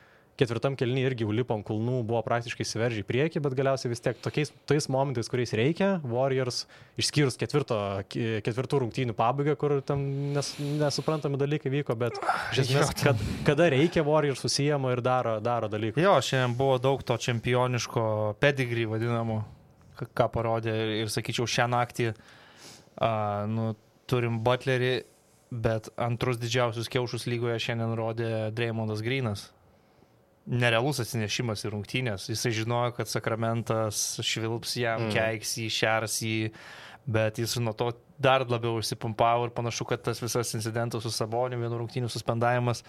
4 kėlinį irgi lipo ant kulnų, buvo praktiškai įsiveržę į priekį, bet galiausiai vis tiek tais momentais, kuriais reikia, Warriors, išskyrus 4 rungtynių pabaigą, kur tam nesuprantami dalykai vyko, bet iš esmės, kada reikia, Warriors susijama ir daro dalykus. Jo, šiandien buvo daug to čempioniško pedigree vadinamo, ką parodė ir sakyčiau, šią naktį turim Butlerį, bet antrus didžiausius kiaušus lygoje šiandien rodė Draymondas Greenas. Nerealus atsinešimas į rungtynės. Jisai žinojo, kad Sakramentas švilps jam, keiks jį, šers jį, bet jis nuo to dar labiau išsipumpavo ir panašu, kad tas visas incidentas su Saboniu, vienų rungtynių suspendavimas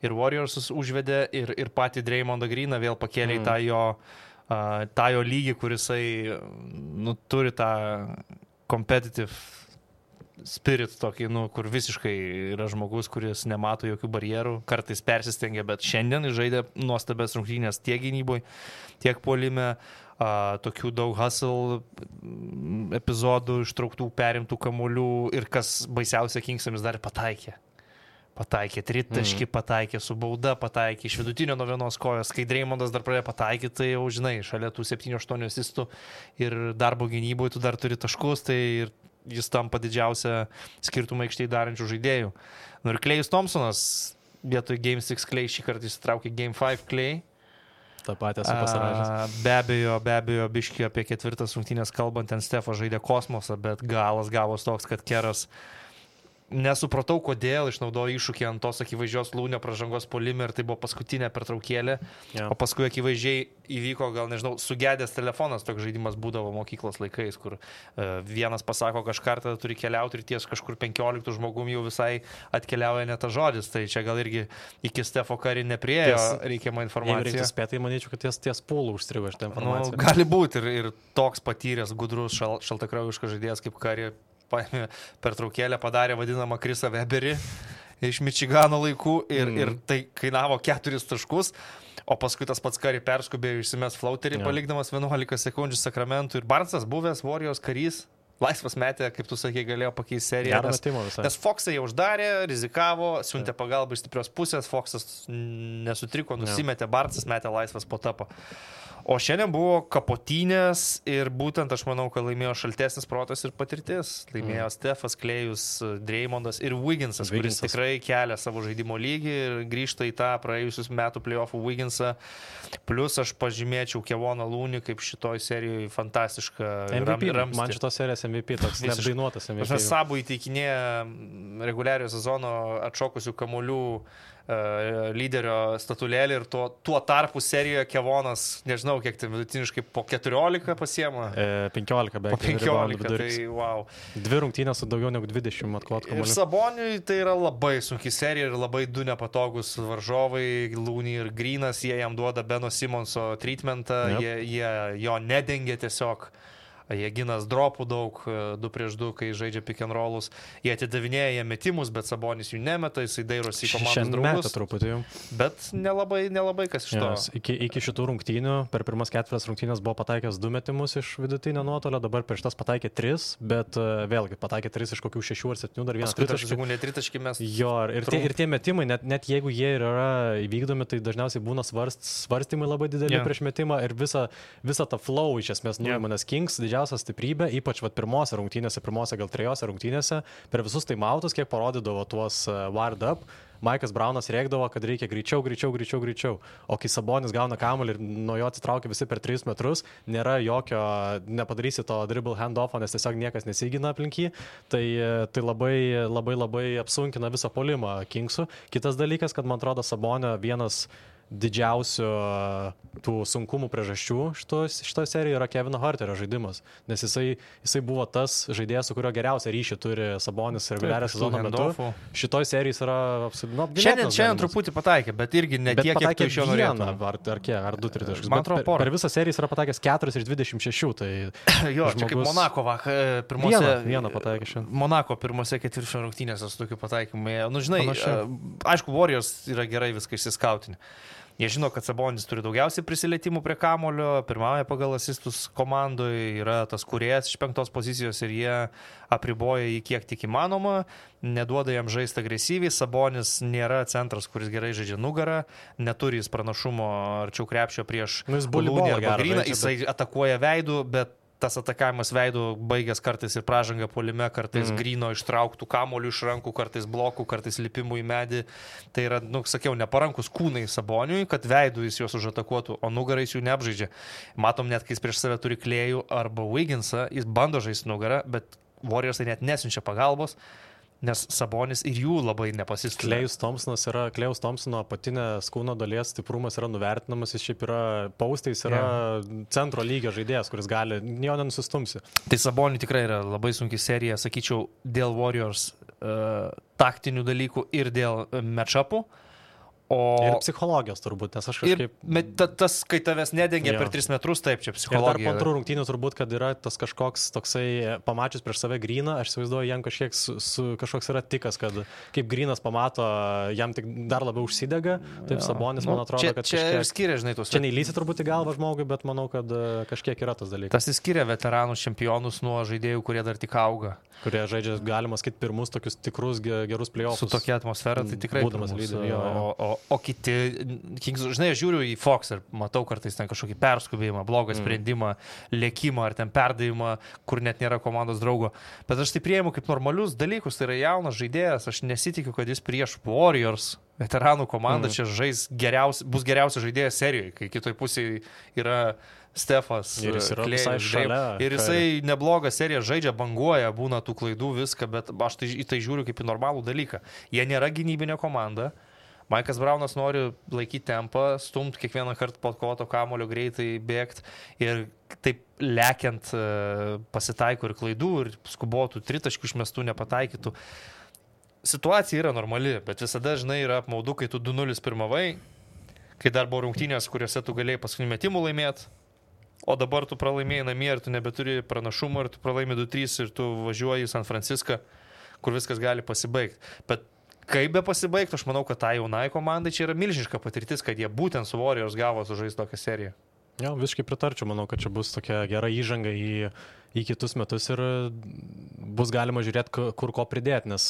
ir Warriors užvedė ir patį Draymondą Greeną vėl pakėlė į tą jo lygį, kur jisai turi tą competitive spirit tokį, kur visiškai yra žmogus, kuris nemato jokių barjerų, kartais persistengia, bet šiandien žaidė nuostabės rungtynės tiek gynyboje, tiek puolime, tokių daug hustle epizodų, ištrauktų, perimtų kamuolių ir kas baisiausia, Kingsamis dar pataikė tritaškį, pataikė su bauda, pataikė iš vidutinio nuo vienos kojos, kai Draymondas dar pradėjo pataikyti, tai jau žinai, šalia tų 7-8 asistų ir darbo gynyboje tu dar turi taškus, tai ir jis tampa didžiausia skirtumą aikštėje darančių žaidėjų. Ir Klejus Thompsonas vietoj Game 6 Klej šį kartą įsitraukė Game 5 Klej. Ta patį esu pasirašęs. Be abejo, biškį apie 4 rungtynės kalbant, ten Stefo žaidė kosmosą, bet galas gavos toks, kad Keras nesupratau, kodėl išnaudojo iššūkį ant tos akivaizdžios Lūnio pražangos puolime ir tai buvo paskutinė pertraukėlė, o paskui akivaizdžiai įvyko, gal nežinau, sugedęs telefonas, toks žaidimas būdavo mokyklos laikais, kur vienas pasako kažką, tada turi keliauti ir ties kažkur 15 žmogum jau visai atkeliauja ne tas žodis, tai čia gal irgi iki Stefo Curry nepriėjo reikiamą informaciją. Jeigu reiktų spėti, manyčiau, kad ties pūlų užstrigo šitą informaciją. Gali būti ir toks patyręs, gudrus, šaltakraujiškas žaidėjas kaip Curry paėmė pertraukėlę, padarė vadinamą Chrisą Weberį iš Mičigano laikų ir tai kainavo 4 taškus, o paskui tas pats Curry perskubėjo išsimes flauterį, palikdamas 11 sekundžių Sakramentų ir Barnsas buvęs Warriors karys, laisvas metė, kaip tu sakei, galėjo pakeisti seriją, nes Foxai jau uždarė, rizikavo, siuntė pagalbą iš stiprios pusės, Foxas nesutriko, nusimetė, Barnsas metė laisvas po tapo. O šiandien buvo kapotynės ir būtent aš manau, kad laimėjo šaltesnis protas ir patirtis. Laimėjo Stefas, Klejus, Draymondas ir Wigginsas, kuris tikrai kelia savo žaidimo lygį ir grįžta į tą praėjusius metų playoffų Wigginsą. Plus aš pažymėčiau Kevoną Lūnį kaip šitoj serijoje fantastišką MVP. Ramstį. Man šitos serijos MVP, toks neapdainuotas MVP. Sabų įteikinėja reguliariojo sezono atšokusių kamuolių lyderio statulėlį ir tuo tarpu serijoje Kevonas, nežinau, kiek tai vidutiniškai po 14 pasiema. 15 beveik. Po 15, tai wow. 2 rungtynės su daugiau negu 20 atkovotų kamuolių. Ir Saboniui tai yra labai sunki serija ir labai 2 nepatogus varžovai, Lūny ir Greenas, jie jam duoda Beno Simonso treatmentą, jie jo nedengia tiesiog. Jie ginas dropų daug, 2-2, kai žaidžia pick and rollus. Jie atidavinėja metimus, bet Sabonis jų nemeta, jisai dairosi į komandos draugus. Truputį jau. Bet nelabai kas iš to. Iki šitų rungtynių, per pirmas 4 rungtynės buvo pataikęs 2 metimus iš vidutinio nuotolio, dabar prieš tas pataikė 3, bet vėlgi pataikė 3 iš kokių 6 ar 7, dar vienas tritaškį mes. Jo, ir tie metimai, net jeigu jie yra įvykdomi, tai dažniausiai būna svarstymai labai dideli prieš metimą ir visą tą flow iš esmės nuima, nes Kings didžiausia didžiausia stiprybė, ypač pirmose gal 3 rungtynėse, per visus taimautus, kiek parodydavo tuos wired up, Maikas Braunas rėkdavo, kad reikia greičiau. O kai Sabonis gauna kamuolį ir nuo jo atsitraukia visi per 3 metrus, nėra jokio, nepadarysi to dribble handoffo, nes tiesiog niekas nesigina aplink jį, tai labai apsunkina visą puolimą Kingsų. Kitas dalykas, kad man atrodo Sabonio vienas didžiausių tų sunkumų priežasčių šitoje serijoje yra Kevino Harterio žaidimas, nes jisai buvo tas žaidėjas, su kurio geriausią ryšį turi Sabonis reguliarią sezono metu. Šitoje serijoje yra apsiginęs. Šiandien truputį pataikė, bet irgi ne tiek, kiek tu iš jo norėtum. Ar 2-3 taškus. Man atrodo, per visą seriją jis yra pataikęs 4 iš 26. Tai jo, čia kaip Monako vieną pataikė šiandien. Monako pirmose ketvirčio rungtynėse su tokiu pataikymu. Nu, žinai, aišku, Warriors yra gerai viską išsiskautinę. Jie žino, kad Sabonis turi daugiausiai prisilietimų prie kamulio, pirmauja pagal asistus komandoje, yra tas kūrėjas iš 5 pozicijos ir jie apriboja jį kiek tik įmanoma, neduoda jam žaisti agresyviai. Sabonis nėra centras, kuris gerai žaidžia nugarą, neturi jis pranašumo arčiau krepšio prieš Lūnį arba Gryną, jisai atakuoja veidų, bet tas atakavimas veidų baigęs kartais ir pražanga puolime, kartais Gryno ištrauktų kamuolių iš rankų, kartais blokų, kartais lipimų į medį. Tai yra, sakiau, neparankus kūnai Saboniui, kad veidų jis juos užatakuotų, o nugarą jis jų neapžaidžia. Matom net, kai jis prieš save turi Klėjų arba Wigginsą, jis bando žaisti nugarą, bet Warriors net nesiunčia pagalbos, nes Sabonis ir jų labai nepasistumia. Klėjaus Thompsono apatinės kūno dalies stiprumas yra nuvertinamas, jis šiaip yra paustais, yra centro lygio žaidėjas, kuris gali, jo nenusistumsi. Tai Saboniui tikrai yra labai sunki serija, sakyčiau, dėl Warriors taktinių dalykų ir dėl match-upų. Ir psichologijos turbūt, nes aš kažkaip... Tas, kai tavęs nedengia per 3 metrus, taip, čia psichologija. Ir dar po antrų rungtynių turbūt, kad yra tas kažkoks toksai, pamačius prieš save Gryną, aš įsivaizduoju, jam kažkoks yra tikas, kad kaip Grynas pamato, jam tik dar labiau užsidega, taip Sabonis, man atrodo, kad čia skiria, žinai, tos... Čia neįlysi turbūt į galvą žmogui, bet manau, kad kažkiek yra tas dalykas. Tas įskiria veteranus čempionus nuo žaidėjų, kurie dar tik auga. Kurie žaidžia, galima sakyti, pirmus tokius tikrus gerus play-offus. Su tokia atmosfera, tai tikrai būdamas lyderiu. O kiti, žinai, aš žiūriu į Fox ir matau kartais ten kažkokį perskubėjimą, blogą sprendimą, lėkimą ar ten perdavimą, kur net nėra komandos draugo. Bet aš tai prieimu kaip normalius dalykus, tai yra jaunas žaidėjas, aš nesitikiu, kad jis prieš Warriors veteranų komandą čia bus geriausias žaidėjas serijoje, kai kitoj pusėje yra Stefas, ir jis yra visai šalia. Ir jisai neblogą seriją žaidžia, banguoja, būna tų klaidų, viską, bet aš į tai žiūriu kaip į normalų dalyką. Jie nėra gynybinė komanda. Maikas Braunas nori laikyti tempą, stumti kiekvieną kartą po kovoto kamulio greitai bėgti ir taip lekiant pasitaiko ir klaidų, ir skubotų, tritaškių išmestų nepataikytų. Situacija yra normali, bet visada, žinai, yra apmaudu, kai tu 2-0 pirmavai, kai dar buvo rungtynės, kuriuose tu galėjai paskutinių metimų laimėti, o dabar tu pralaimėjai namie ir tu nebeturi pranašumo ir tu pralaimi 2-3 ir tu važiuoji į San Franciską, kur viskas gali pasibaigti. Bet kaip be pasibaigti, aš manau, kad tai jaunai komandai čia yra milžiniška patirtis, kad jie būtent su Warriors gavo sužaisti tokią seriją. Jo, visiškai pritarčiau, manau, kad čia bus tokia gera įžanga į kitus metus ir bus galima žiūrėti, kur ko pridėti, nes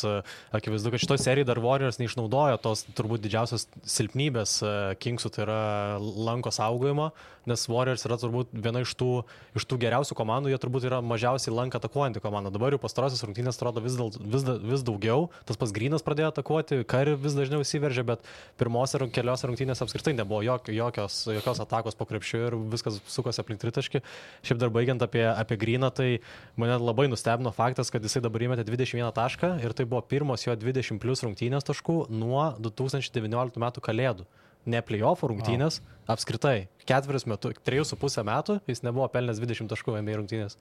akivaizdu, kad šitoje serijoje dar Warriors neišnaudojo tos turbūt didžiausios silpnybės Kingsų, tai yra lanko saugojimo, nes Warriors yra turbūt viena iš tų geriausių komandų, jie turbūt yra mažiausiai lanką atakuojanti komanda. Dabar jau pastarosios rungtynės atrodo vis daugiau, tas pats Grynas pradėjo atakuoti, Curry vis dažniau įsiveržė, bet pirmose keliose rungtynėse apskritai nebuvo jokios atakos po krepšiu ir viskas sukosi aplink tritaškį. Šiaip dar baigiant apie Gryną, tai mane labai nustebino faktas, kad jisai dabar įmetė 21 tašką ir tai buvo pirmos jo 20 plus rungtynės taškų nuo 2019 metų kalėdų. Ne play-offų rungtynės, apskritai. 3,5 metų jis nebuvo pelnęs 20 taškų NBA rungtynės.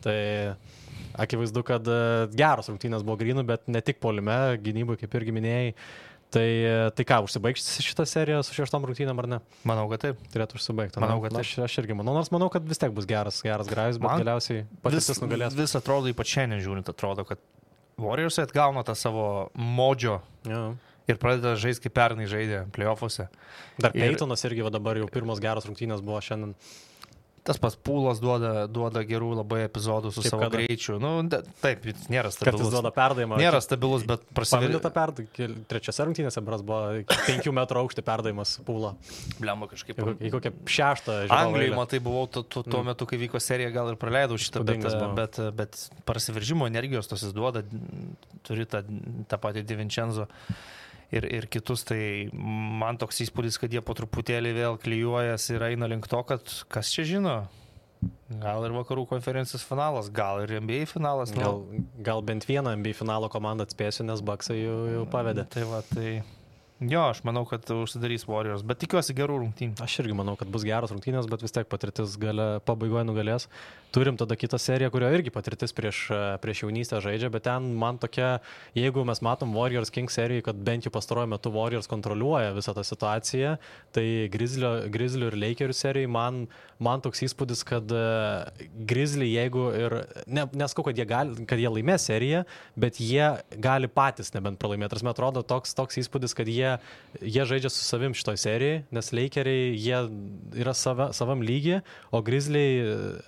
Tai akivaizdu, kad geros rungtynės buvo Grynų, bet ne tik puolime, gynybai, kaip irgi minėjai. Tai ką, užsibaigs šitą seriją su 6 rungtynėm ar ne? Manau, kad taip. Turėtų užsibaigti. Manau, kad taip. Aš irgi manau, nors manau, kad vis tiek bus geras grajus, bet galiausiai patirtis nugalės. Vis atrodo, ypač šiandien žiūrint, atrodo, kad Warriors atgauna tą savo modžio ir pradeda žaisti kaip pernai žaidė playoffuose. Dar Peytonas irgi dabar jau pirmos geros rungtynės buvo šiandien. Tas pats Pūlas duoda gerų labai epizodų su savo greičiu. Taip, nėra stabilus. Kartais duoda perdavimą. Nėra stabilus, bet prasiverė. Paminėta perdavimą. Trečiose rungtynėse bras buvo 5 metrų aukštį perdavimas Pūla. Blemba kažkaip. Į kokią 6. Anglijoje, matai, buvau tuo metu, kai vyko serija, gal ir praleidau šitą, bet prasiveržimo energijos tos jis duoda, turi tą patį Di Vincenzo. Ir kitus, tai man toks įspūdis, kad jie po truputėlį vėl klijuojas ir eina link to, kad kas čia žino, gal ir vakarų konferencijos finalas, gal ir NBA finalas. Gal bent vieną NBA finalo komandą atspėsiu, nes Bucksai jau pavedė. Tai jo, aš manau, kad užsidarys Warriors, bet tikiuosi gerų rungtynių. Aš irgi manau, kad bus geros rungtynės, bet vis tiek patirtis pabaigoje nugalės. Turim tada kitą seriją, kurio irgi patirtis prieš jaunystę žaidžia, bet ten man tokia, jeigu mes matom Warriors Kings serijai, kad bent jau pastaruoju metu Warriors kontroliuoja visą tą situaciją, tai Grizzlių ir Lakerių serijai man toks įspūdis, kad Grizzly, jeigu ir, neskau, kad jie laimės seriją, bet jie gali patys nebent pralaimėti. Tarsi, man atrodo, toks įspūdis, kad jie žaidžia su savim šitoj serijai, nes Lakeriai, jie yra savam lygi, o Grizzliai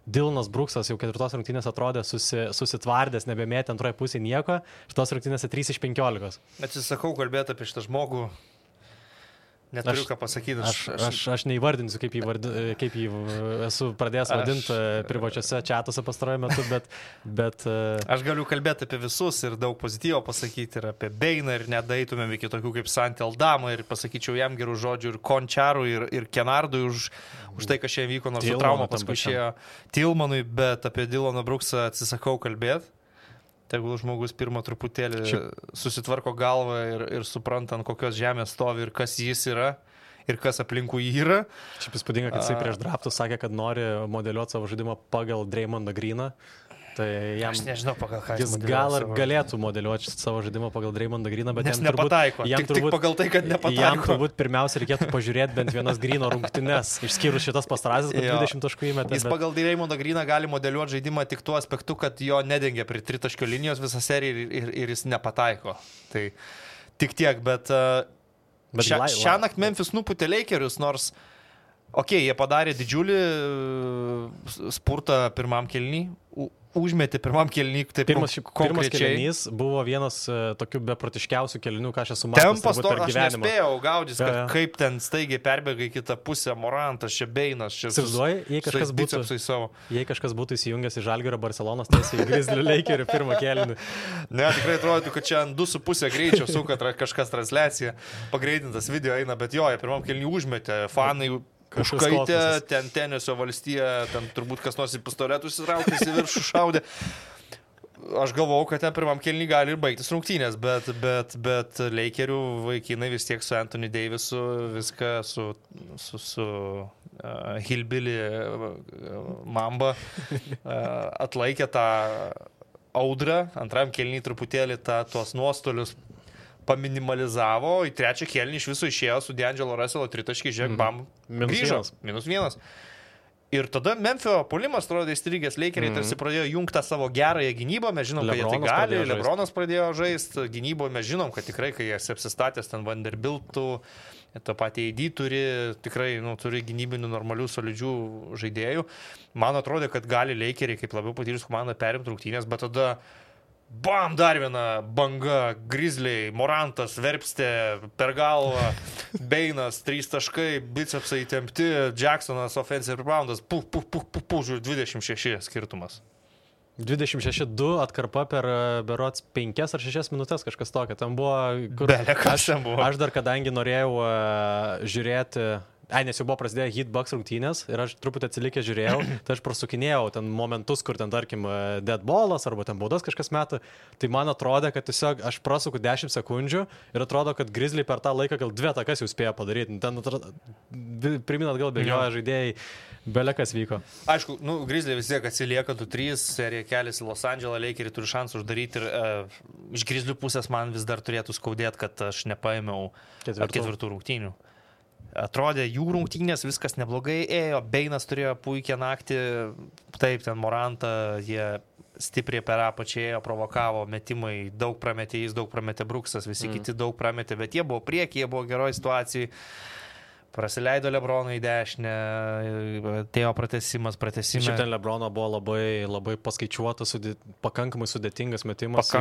Dylanas Brooksas jau 4 rungtynės atrodė susitvardęs, nebemėtė antroje pusėje nieko, šitos rungtynėse 3 iš 15. Atsisakau kalbėti apie šitą žmogų, neturiu ką pasakyti. Aš neįvardinsiu, kaip jį esu pradėjęs vadinti privačiose čatuose pastaruoju metu, bet... Aš galiu kalbėti apie visus ir daug pozityvo pasakyti ir apie Beiną ir nedaitumėm iki tokių kaip Santi Aldama ir pasakyčiau jam gerų žodžių ir Končarui ir Kenardui už tai, kas čia vyko, nors su trauma paskui išėjo Tilmanui, bet apie Dylaną Brooksą atsisakau kalbėti. Tegul žmogus pirmą truputėlį susitvarko galvą ir supranta, ant kokios žemės stovi ir kas jis yra ir kas aplinkui jį yra. Šiaip įspūdinga, kad jisai prieš draftus sakė, kad nori modeliuoti savo žaidimą pagal Draymondą Greeną. Tai aš nežinau, pagal ką jis gal ir galėtų modeliuoti savo žaidimą pagal Draymondą Greeną, bet nes nepataiko. Tik pagal tai, kad nepataiko. Jam turbūt pirmiausia reikėtų pažiūrėti bent vienas Greeno rungtynes, išskyrus šitas pastarasis, kad 20 taškų įmetė. Jis pagal Draymondą Greeną gali modeliuoti žaidimą tik tuo aspektu, kad jo nedengia prie 3 linijos visą seriją ir jis nepataiko. Tai tik tiek, bet šią naktį Memphis nupūtė Lakerius, nors jie padarė didžiulį spurtą pirmam kėlinį. Užmetė pirmam kėlinį, taip pirmas kėlinys buvo vienas tokių beprotiškiausių kėlinių, ką aš esu matęs per gyvenimą. Aš nespėjau gaudys, kaip ten staigiai perbėga į kitą pusę, Morantas, čia Beinas, čia jei kažkas būtų įsijungęs į Žalgirio Barcelonas, tiesiai į Grizzlių Lakerių pirmą kėlinį. Ne, tikrai atrodo, kad čia ant 2,5 greičio suka kažkas transliacija, pagreitintas video eina, bet jie pirmam kėlinį užmetė, fanai užkaitė, ten Tenesio valstija, ten turbūt kas nors į pistoletus įtraukęs į viršų šaudė. Aš galvojau, kad ten pirmam kėlinį gali ir baigtis rungtynės, bet Lakerių vaikinai vis tiek su Anthony Davisu viską su Hillbilly Mamba atlaikė tą audrą, antram kėlinį truputėlį tuos nuostolius paminimalizavo, į trečią kėlinį iš viso išėjo su D'Angelo Russello tritaškį, žiūrėk, bam, grįžo, -1. Ir tada Memphio puolimas, atrodo, įstrigęs Lakeriai tarsi pradėjo jungti savo gerąją gynybą, mes žinom, kad jie tai gali, Lebronas pradėjo žaisti, gynyboje mes žinom, kad tikrai, kai jie apsistatęs ten Vanderbiltų, to patį AD turi, tikrai turi gynybinių normalių, solidžių žaidėjų. Man atrodo, kad gali Lakeriai kaip labiau patyrus komandą perimti rungtynės, bet tada bam, dar viena banga, Grizzliai, Morantas, Verpstė, per galvą, Beinas, 3 taškai, bicepsai įtempti, Jacksonas, offensive reboundas, žiūrėjau, 26 skirtumas. 26-2 atkarpa per berods 5 ar 6 minutės, kažkas tokio. Ten buvo, aš dar kadangi norėjau žiūrėti... Nes jau buvo prasidėję Heat Bucks rungtynės ir aš truputį atsilikęs žiūrėjau, tai aš prasukinėjau ten momentus, kur ten, tarkim, dead ballas arba ten baudas kažkas metų, tai man atrodė, kad tiesiog aš prasuku 10 sekundžių ir atrodo, kad Grizzliai per tą laiką gal 2 takas jau spėjo padaryti. Ten priminat gal bėgioja žaidėjai, belekas vyko. Aišku, Grizzliai vis tiek atsilieka 2-3, serija keliasi Los Andželą, Lakeriai turi šansų uždaryti ir iš Grizzlių pusės man vis dar turėtų skaudėti, kad aš nepaėmiau 4 rungtynių. Atrodė, jų rungtynės viskas neblogai ėjo, Beinas turėjo puikią naktį, taip, ten Morantą, jie stipriai per apačią ėjo, provokavo, metimai, daug prametė jis, daug prametė Brooksas, visi kiti daug prametė, bet jie buvo prieky, jie buvo geroj situacijai. Prasileido LeBroną į dešinę, atėjo pratęsimas. Šiaip ten LeBrono buvo labai paskaičiuotas, pakankamai sudėtingas metimas.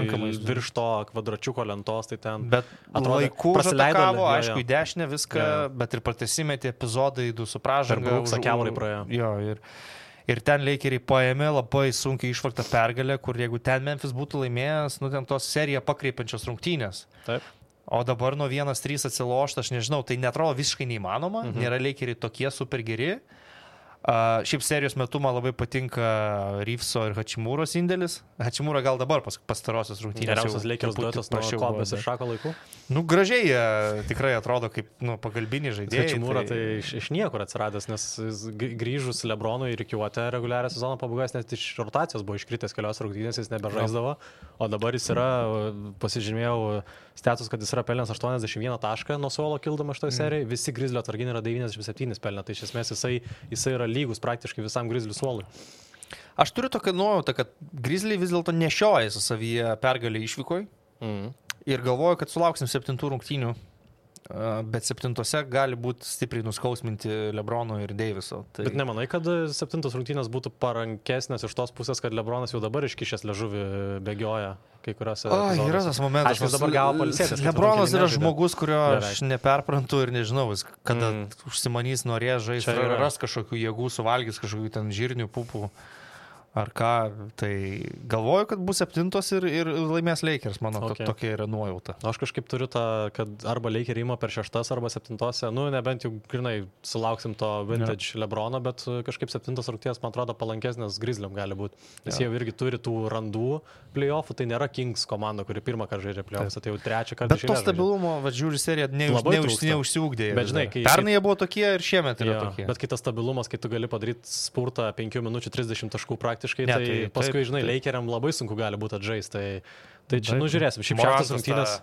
Virš to kvadračiuko lentos, tai ten... Bet laiku praleido, aišku, į dešinę viską, bet ir pratęsimėti epizodai, du su pražanga. Per Brooksą kiaurai praėjo. Jo, ir ten Lakeriai paėmė labai sunkiai išvaktą pergalę, kur jeigu ten Memphis būtų laimėjęs, ten tos seriją pakreipiančios rungtynės. Taip. O dabar nuo 1-3 atsilošta, aš nežinau, tai netrodo visiškai neįmanoma, nėra Lakeriai tokie super geri. Šiaip serijos metu man labai patinka Reeveso ir Hachimūros indėlis. Hachimūra gal dabar pastarosios rungtynės. Geriausias Lakers duetas nuo Kobės ir Šako laikų. Gražiai tikrai atrodo kaip pagalbiniai žaidėjai. Hachimūra tai iš niekur atsiradęs, nes grįžus LeBronui ir rikiuotę reguliarią sezono pabaigos, net iš rotacijos buvo iškritęs kelios rungtynės, jis nebežaisdavo, o dabar jis yra, pasižymėjau status, kad jis yra pelnęs 81 tašką nuo suolo kildama šitoje serijoje, visi Grizzlio atsarginiai yra 97 pelnę, tai iš esmės jisai yra lygus praktiškai visam Grizzlių suolui. Aš turiu tokią nuojautą, kad Grizzliai vis dėlto nešioja su savyje pergalį išvykoj ir galvoju, kad sulauksim 7 rungtynių, bet 7 gali būti stipriai nuskausminti LeBrono ir Daviso. Tai... Bet nemanai, kad 7 rungtynės būtų parankesnės iš tos pusės, kad LeBronas jau dabar iškišęs liežuvį bėgioja kai kuriuose. Yra tas momentas. Aš dabar gavo palsėtis. LeBronas yra žmogus, kurio aš neperprantu ir nežinau, kada užsimanys norės žaisti, ras kažkokių jėgų, suvalgys kažkokių ten žirnių pupų. Ar ką, tai galvoju, kad bus 7 ir laimės Lakers, mano tokia yra nuojauta. Aš kažkaip turiu tą, kad arba Lakers ima per 6 arba 7, nebent jau grinai sulauksim to vintage Lebrono, bet kažkaip 7 rungtynės, man atrodo, palankesnės Grizzliam gali būti. Nes jie jau irgi turi tų randų playoffų, tai nėra Kings komanda, kuri pirmą kartą žaidžia playoffs, tai jau trečią kartą. Bet to stabilumo, žiūri, serija neužsiūgdė. Pernai jie buvo tokie ir šiemet yra tokie. Bet kitas stabilumas, kai tu gali padaryti spurtą 5 minučių 30 taškų praktiškai, tai paskui, žinai, Lakeriam labai sunku gali būti atžaisti. Tai čia, žiūrėsim. Šiaip 6 rungtynės...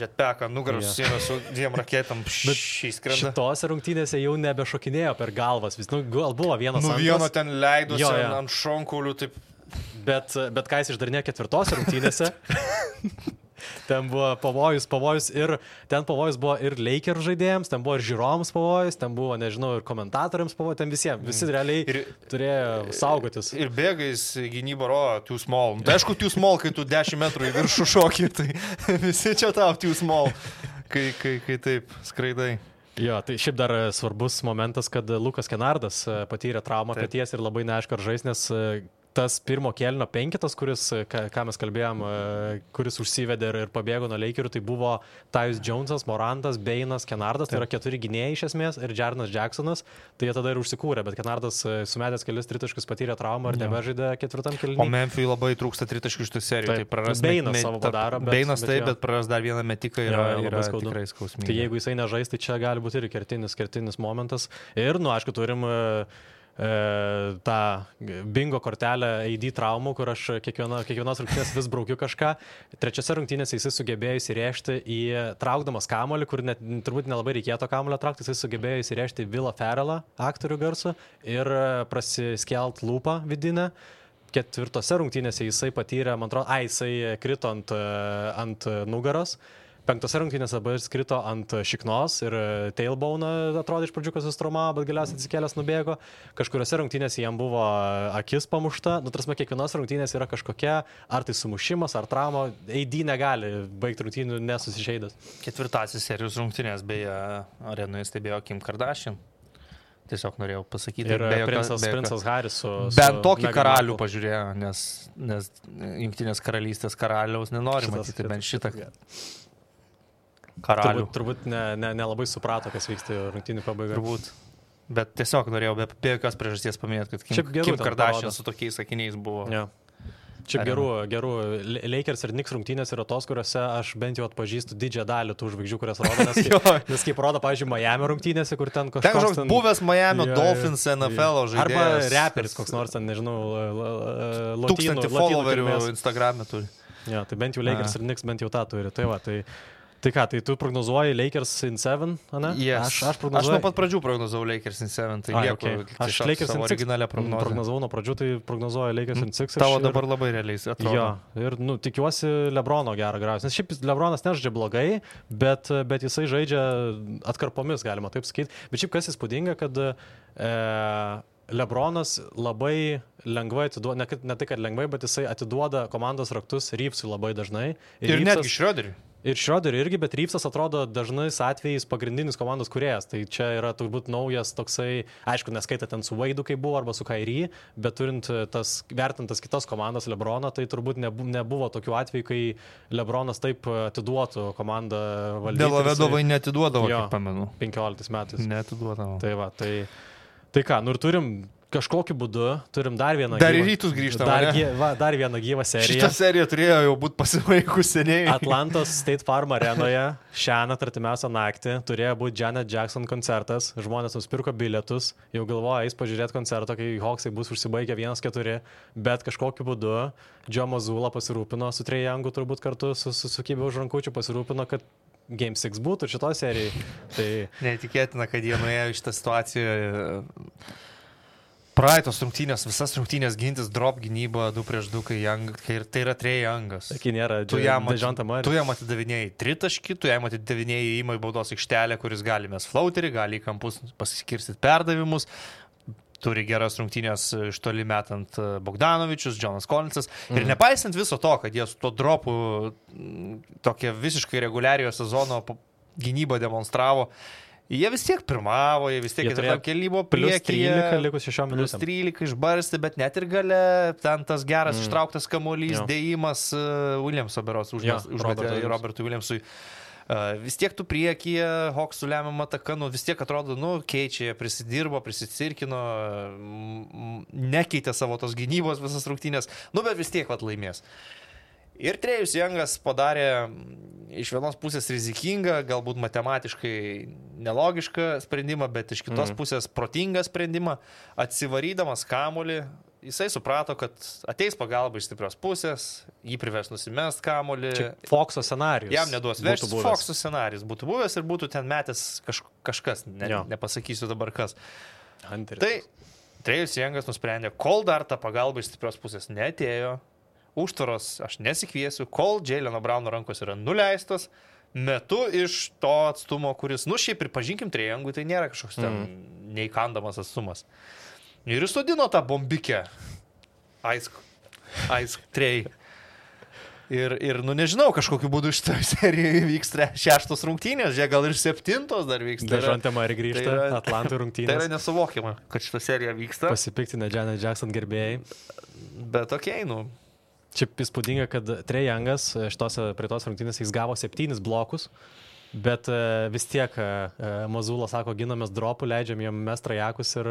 Jetpacką nugarą susijęs su 2 raketam išskrenda. Šitose rungtynėse jau nebešokinėjo per galvas. Gal buvo vienas antras. Vieno ten leidosi ant šonkaulių, taip. Bet ką jis išdarinėjo 4 rungtynėse? Ten buvo pavojus ir ten pavojus buvo ir Lakers žaidėjams, ten buvo ir žiūrovams pavojus, ten buvo, nežinau, ir komentatoriams pavojus, ten visi realiai turėjo saugotis. Ir bėgais gynyba too small. Tai aišku, too small, kai tu 10 metrų į viršų šokį, tai visi čia tau too small, kai taip skraidai. Jo, tai šiaip dar svarbus momentas, kad Lukas Kennardas patyrė traumą peties ir labai neaišku ar žais, nes tas pirmo kėlinio 5, kuris, ką mes kalbėjom, kuris užsivedė ir pabėgo nuo Lakerių, tai buvo Tyus Jonesas, Morantas, Beinas, Kennardas, tai yra 4 gynėjai iš esmės ir Jarnas Jacksonas, tai jie tada ir užsikūrė, bet Kennardas sumetęs kelis tritaškius patyrė traumą ir nebežaidė 4 kėlinyje. O Memphis labai trūksta tritaškių šitą seriją, tai praras Beinas savo padarą. Beinas taip, bet praras dar vieną metiką yra tikrai skausminga. Tai jeigu jisai nežais, tai čia gali būti ir kertinis momentas. Ir, aišku, turim tą bingo kortelę AD traumų, kur aš kiekvienos rungtynės vis braukiu kažką. 3 rungtynėse jisai sugebėjo įsirėžti traukdamas kamuolį, kur turbūt nelabai reikėtų kamuolio traukti, jisai sugebėjo įsirėžti Willą Ferrellą, aktorių garsų, ir prasiskelt lūpą vidinę. 4 rungtynėse jisai patyrė, man atrodo, jisai krito ant nugaros. 5 rungtynėse dabar skrito ant šiknos ir tailbone atrodo iš pradžių, kad sustraumavo, bet galiausiai atsikėlęs nubėgo. Kažkuriuose rungtynėse jam buvo akis pamušta. Tarsi kiekvienos rungtynės yra kažkokia, ar tai sumušimas, ar trauma. AD negali baigti rungtynių nesusižeidęs. 4 serijos rungtynės, beje, arenoje stebėjo Kim Kardashian. Tiesiog norėjau pasakyti. Ir princas Haris su bent tokį karalių pažiūrėjo, nes Jungtinės karalystės karaliaus nenori matyti, bent šitą karalių. Turbūt nelabai suprato, kas vyksta rungtynių pabaigoje. Turbūt. Bet tiesiog norėjau be jokios priežasties paminėti, kad Kim Kardashian su tokiais sakiniais buvo. Ja. Šiaip gerų Lakers ir Knicks rungtynės yra tos, kuriuose aš bent jau atpažįstu didžiąją dalį tų žvaigždžių, kurias rodo, nes kaip rodo, pavyzdžiui, Miami rungtynėse, kur ten kažkoks... Ten buvęs Miami Dolphins NFL žaidėjas. Arba reperis koks nors, nežinau, 1000 followerių Instagram'e turi. Ja, tai bent jau Lakers ir Knicks bent jau tą turi. Tai va, tai Tai ką, tai tu prognozuoji Lakers in 7, ne? Yes. Aš prognozuoju... Aš nuo pat pradžių prognozavau Lakers in 7, tai lieku Aš Lakers in 6 originalią prognozę. Prognozavau nuo pradžių, tai prognozuoju Lakers in 6. Tavo dabar labai realiai atrodo. Jo, ir tikiuosi Lebrono gerą grąžą. Nes šiaip Lebronas nežaidžia blogai, bet jisai žaidžia atkarpomis, galima taip sakyti. Bet šiaip kas įspūdinga, kad Lebronas labai lengvai atiduoda, ne tai, kad lengvai, bet jisai atiduoda komandos raktus Reevesui labai dažnai. Ir netgi Schroederiui. Ir Schroederiui irgi, bet Reevesas atrodo dažnais atvejais pagrindinis komandos kūrėjas. Tai čia yra turbūt naujas toksai, aišku, neskaita ten su Waidu, kaip buvo, arba su Kyrie, bet turint vertintas kitas komandas Lebroną, tai turbūt nebuvo tokių atvejų, kai Lebronas taip atiduotų komandą valdyti. Delavedovai neatiduodavo, kaip pamenu. 15 metais. Neatiduodavo. Tai va, tai ką, ir turim kažkokiu būdu, turim dar vieną Dar į rytus grįžtame. Dar vieną gyvą seriją. Šitą seriją turėjo jau būti pasibaigus seniai. Atlantos State Farm arenoje šiąnakt artimiausią naktį turėjo būti Janet Jackson koncertas. Žmonės nusipirko bilietus, jau galvoja, eis pažiūrėti koncertą, kai Hawksai bus užsibaigę 1-4, bet kažkokiu būdu Joe Mazzulla pasirūpino su Trae Youngu turbūt kartu susukybė už rankučių, pasirūpino, kad Game 6 būtų šito serijai. Tai... Neįtikėtina, kad jie nuėjo iš tą situaciją. Praeitos rungtynės, visas rungtynės gintis, drop gynyba 2-2, kai tai yra Trae Youngas. Kai nėra Dejounte Murray. Tu jam atidavinėjai tritaškį, tu jam atidavinėjai įmą į baudos aikštelę, kuris gali mes flauterį, gali į kampus pasiskirstyti perdavimus. Turi geras rungtynės iš toli metant Bogdanovičius, Jonas Collinsas. Ir nepaisant viso to, kad jie su to dropu tokia visiškai reguliariojo sezono gynybą demonstravo, jie vis tiek pirmavo, jie vis tiek kelybo priekyje. Plus 13 likus 6 minutėm. Plus 13 išbarsti, bet net ir gale ten tas geras ištrauktas kamuolys, dėjimas Williamso beros užmetė Robertui Williamsui. Vis tiek tu priekyje, Hawksų lemiamą ataką, vis tiek atrodo, keičia, prisidirbo, prisicirkino, nekeitė savo tos gynybos visas rungtynės, bet vis tiek laimės. Ir Trae'us Youngas padarė iš vienos pusės rizikingą, galbūt matematiškai nelogišką sprendimą, bet iš kitos pusės protingą sprendimą, atsivarydamas kamuolį. Jisai suprato, kad ateis pagalba iš stiprios pusės, jį privers nusimest kamuolį. Čia Foxo scenarijus. Jam neduos vežtis. Foxo scenarijus būtų buvęs ir būtų ten metęs kažkas, nepasakysiu dabar kas. Hunteris. Tai Trae'us Youngas nusprendė, kol dar ta pagalba iš stiprios pusės neatėjo, užtvaros aš nesikviesiu, kol Jayleno Browno rankos yra nuleistos, metu iš to atstumo, kuris, šiaip pripažinkim, Trae Youngui tai nėra kažkoks ten neįkandamas atstumas. Ir įsodino tą bombikę. Aisk, Trae. Ir nežinau, kažkokiu būdu šitą seriją vyks 6 rungtynės, gal ir 7 dar vyks. Dejounte Murray grįžta, Atlantų rungtynės. Tai yra nesuvokiama, kad šitą seriją vyksta. Pasipiktinę Janet Jackson gerbėjai. Bet okei, Šiaip įspūdinga, kad Trae Youngas prie tos rungtynės jis gavo 7 blokus, bet vis tiek Mazzulla sako, ginamės dropų, leidžiam jam mest trajakus ir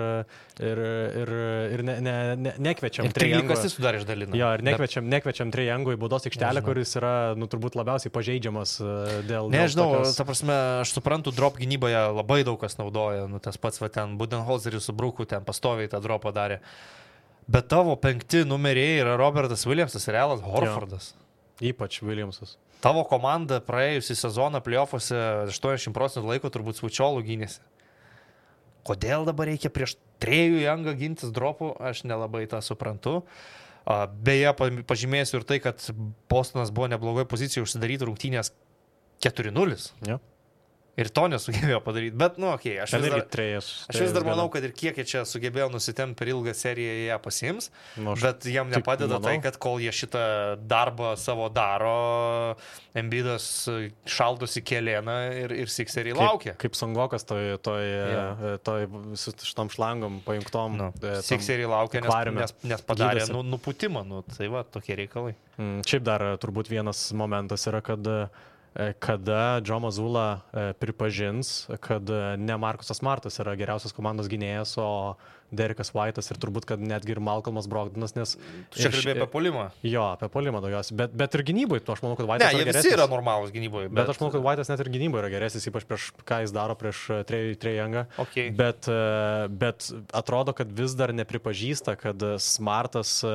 nekviečiam Trae Youngo. Ir 13 sudarė išdalino. Jo, ir nekviečiam Trae Youngo į baudos aikštelę, kuris yra turbūt labiausiai pažeidžiamas dėl... Nežinau, ta prasme, aš suprantu, drop gynyboje labai daug kas naudoja, tas pats ten Budenholzeris su Bruku ten pastoviai tą dropą darė. Bet tavo 5 numeriai yra Robertas Williamsas ir Alan Horfordas. Jo. Ypač Williamsas. Tavo komanda praėjusį sezoną playoffuose 80% laiko turbūt svučiolų gynėsi. Kodėl dabar reikia prieš Trae Youngą gintis dropų, aš nelabai tą suprantu. Beje, pažymėsiu ir tai, kad Bostonas buvo neblogoje pozicijoje užsidaryti rungtynės 4-0. Jo. Ir to nesugebėjo padaryti, bet, aš vis dar manau, kad ir kiek jie čia sugebėjo nusitemti per ilgą seriją, jie pasiims, bet jiem nepadeda tai, kad kol jie šitą darbą savo daro, Embiidas šaldosi kelėną ir Sixeriai laukia. Kaip Songokas su šitom šlangom pajungtom. Sixeriai laukia, nes padarė nuputimą, tai va, tokie reikalai. Šiaip dar turbūt vienas momentas yra, kada Joe Mazzulla pripažins, kad ne Marcusas Smartas yra geriausias komandos gynėjas, o Derekas White'as ir turbūt, kad netgi ir Malcolmas Brogdonas, nes... Tu čia kalbėjai apie puolimą? Jo, apie puolimą daugiausiai, bet ir gynybai, aš manau, kad White'as yra geresnis. Ne, jie visi yra normalūs gynybai. Bet aš manau, kad White'as net ir gynybai yra geresnis, ypač prieš ką jis daro prieš Trae Youngą. Okay. Bet atrodo, kad vis dar nepripažįsta, kad Smartas,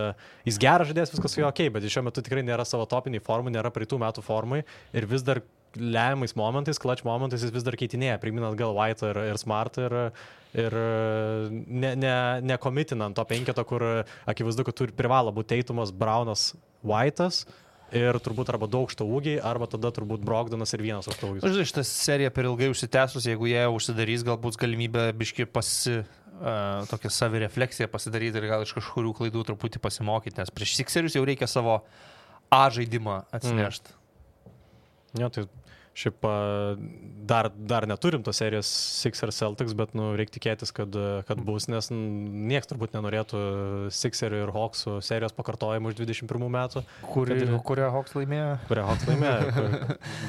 jis geras žaidėjas, viskas su juo okei, bet šiuo metu tikrai nėra savo topiniai formų, nėra praeitų metų formai ir vis dar lemiamais momentais, clutch momentais jis vis dar keitinėja, priminant gal White ir Smart ir nekomitinant to penketo, kur akivaizdu, kad privalo būti Taitumas, Brownas, White'as. Ir turbūt arba daug aukšto ūgiai, arba tada turbūt Brogdonas ir vienas aukšto ūgis. Žinai, šitą seriją per ilgai užsitęsus, jeigu jie užsidarys, galbūt galimybė biški tokią savirefleksiją pasidaryti ir gal iš kažkurių klaidų truputį pasimokyti, nes prieš Sixerius jau reikia savo A žaidimą atsinešti. Jo, tai šiaip dar neturim tos serijos Sixers Celtics, bet reikia tikėtis, kad bus, nes nieks turbūt nenorėtų Sixerių ir Hawksų serijos pakartojimų iš 21 metų. Kurią Hawks laimėjo? Kurią Hawks laimėjo.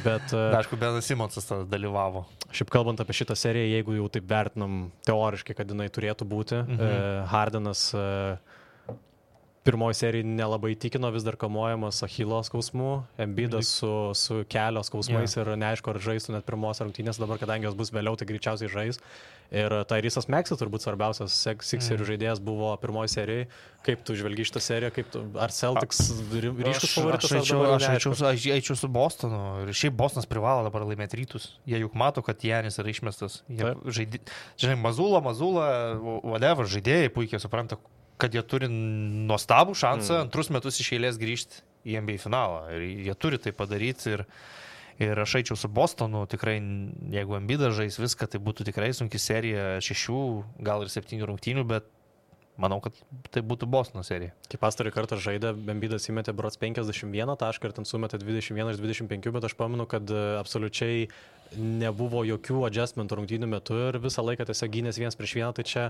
Bet, aišku, Benas Simonsas tada dalyvavo. Šiaip kalbant apie šitą seriją, jeigu jau taip vertinam teoriškai, kad jinai turėtų būti, Hardenas pirmoji serija nelabai įtikino, vis dar kamuojamas Achilo skausmu, Embiidas su kelio skausmais ir neaišku, ar žaistų net pirmos rungtynės, dabar kadangi jos bus vėliau, tai greičiausiai žais. Ir Tyrysas Maxey turbūt svarbiausias Sixerių žaidėjas buvo pirmoji serijai. Kaip tu žvelgi šitą seriją, ar Celtics ryškus favoritas? Aš eičiau su Bostonu ir šiaip Bostonas privalo dabar laimėti rytus. Jie juk mato, kad Janis yra išmestas. Žinai, Mazula, whatever, žaidėjai puikiai supranta, kad jie turi nuostabų šansą antrus metus iš eilės grįžti į NBA finalą. Ir jie turi tai padaryti. Ir aš eičiau su Bostonu, tikrai, jeigu Embiidas žais viską, tai būtų tikrai sunki serija 6, gal ir 7 rungtynių, bet manau, kad tai būtų Bostono serija. Kai pastarį kartą žaidė, Embiidas įmetė berods 51 tašką ir ten sumetė 21 iš 25, bet aš pamenu, kad absoliučiai nebuvo jokių adjustmentų rungtynių metu ir visą laiką tiesiog gynės 1-1, tai čia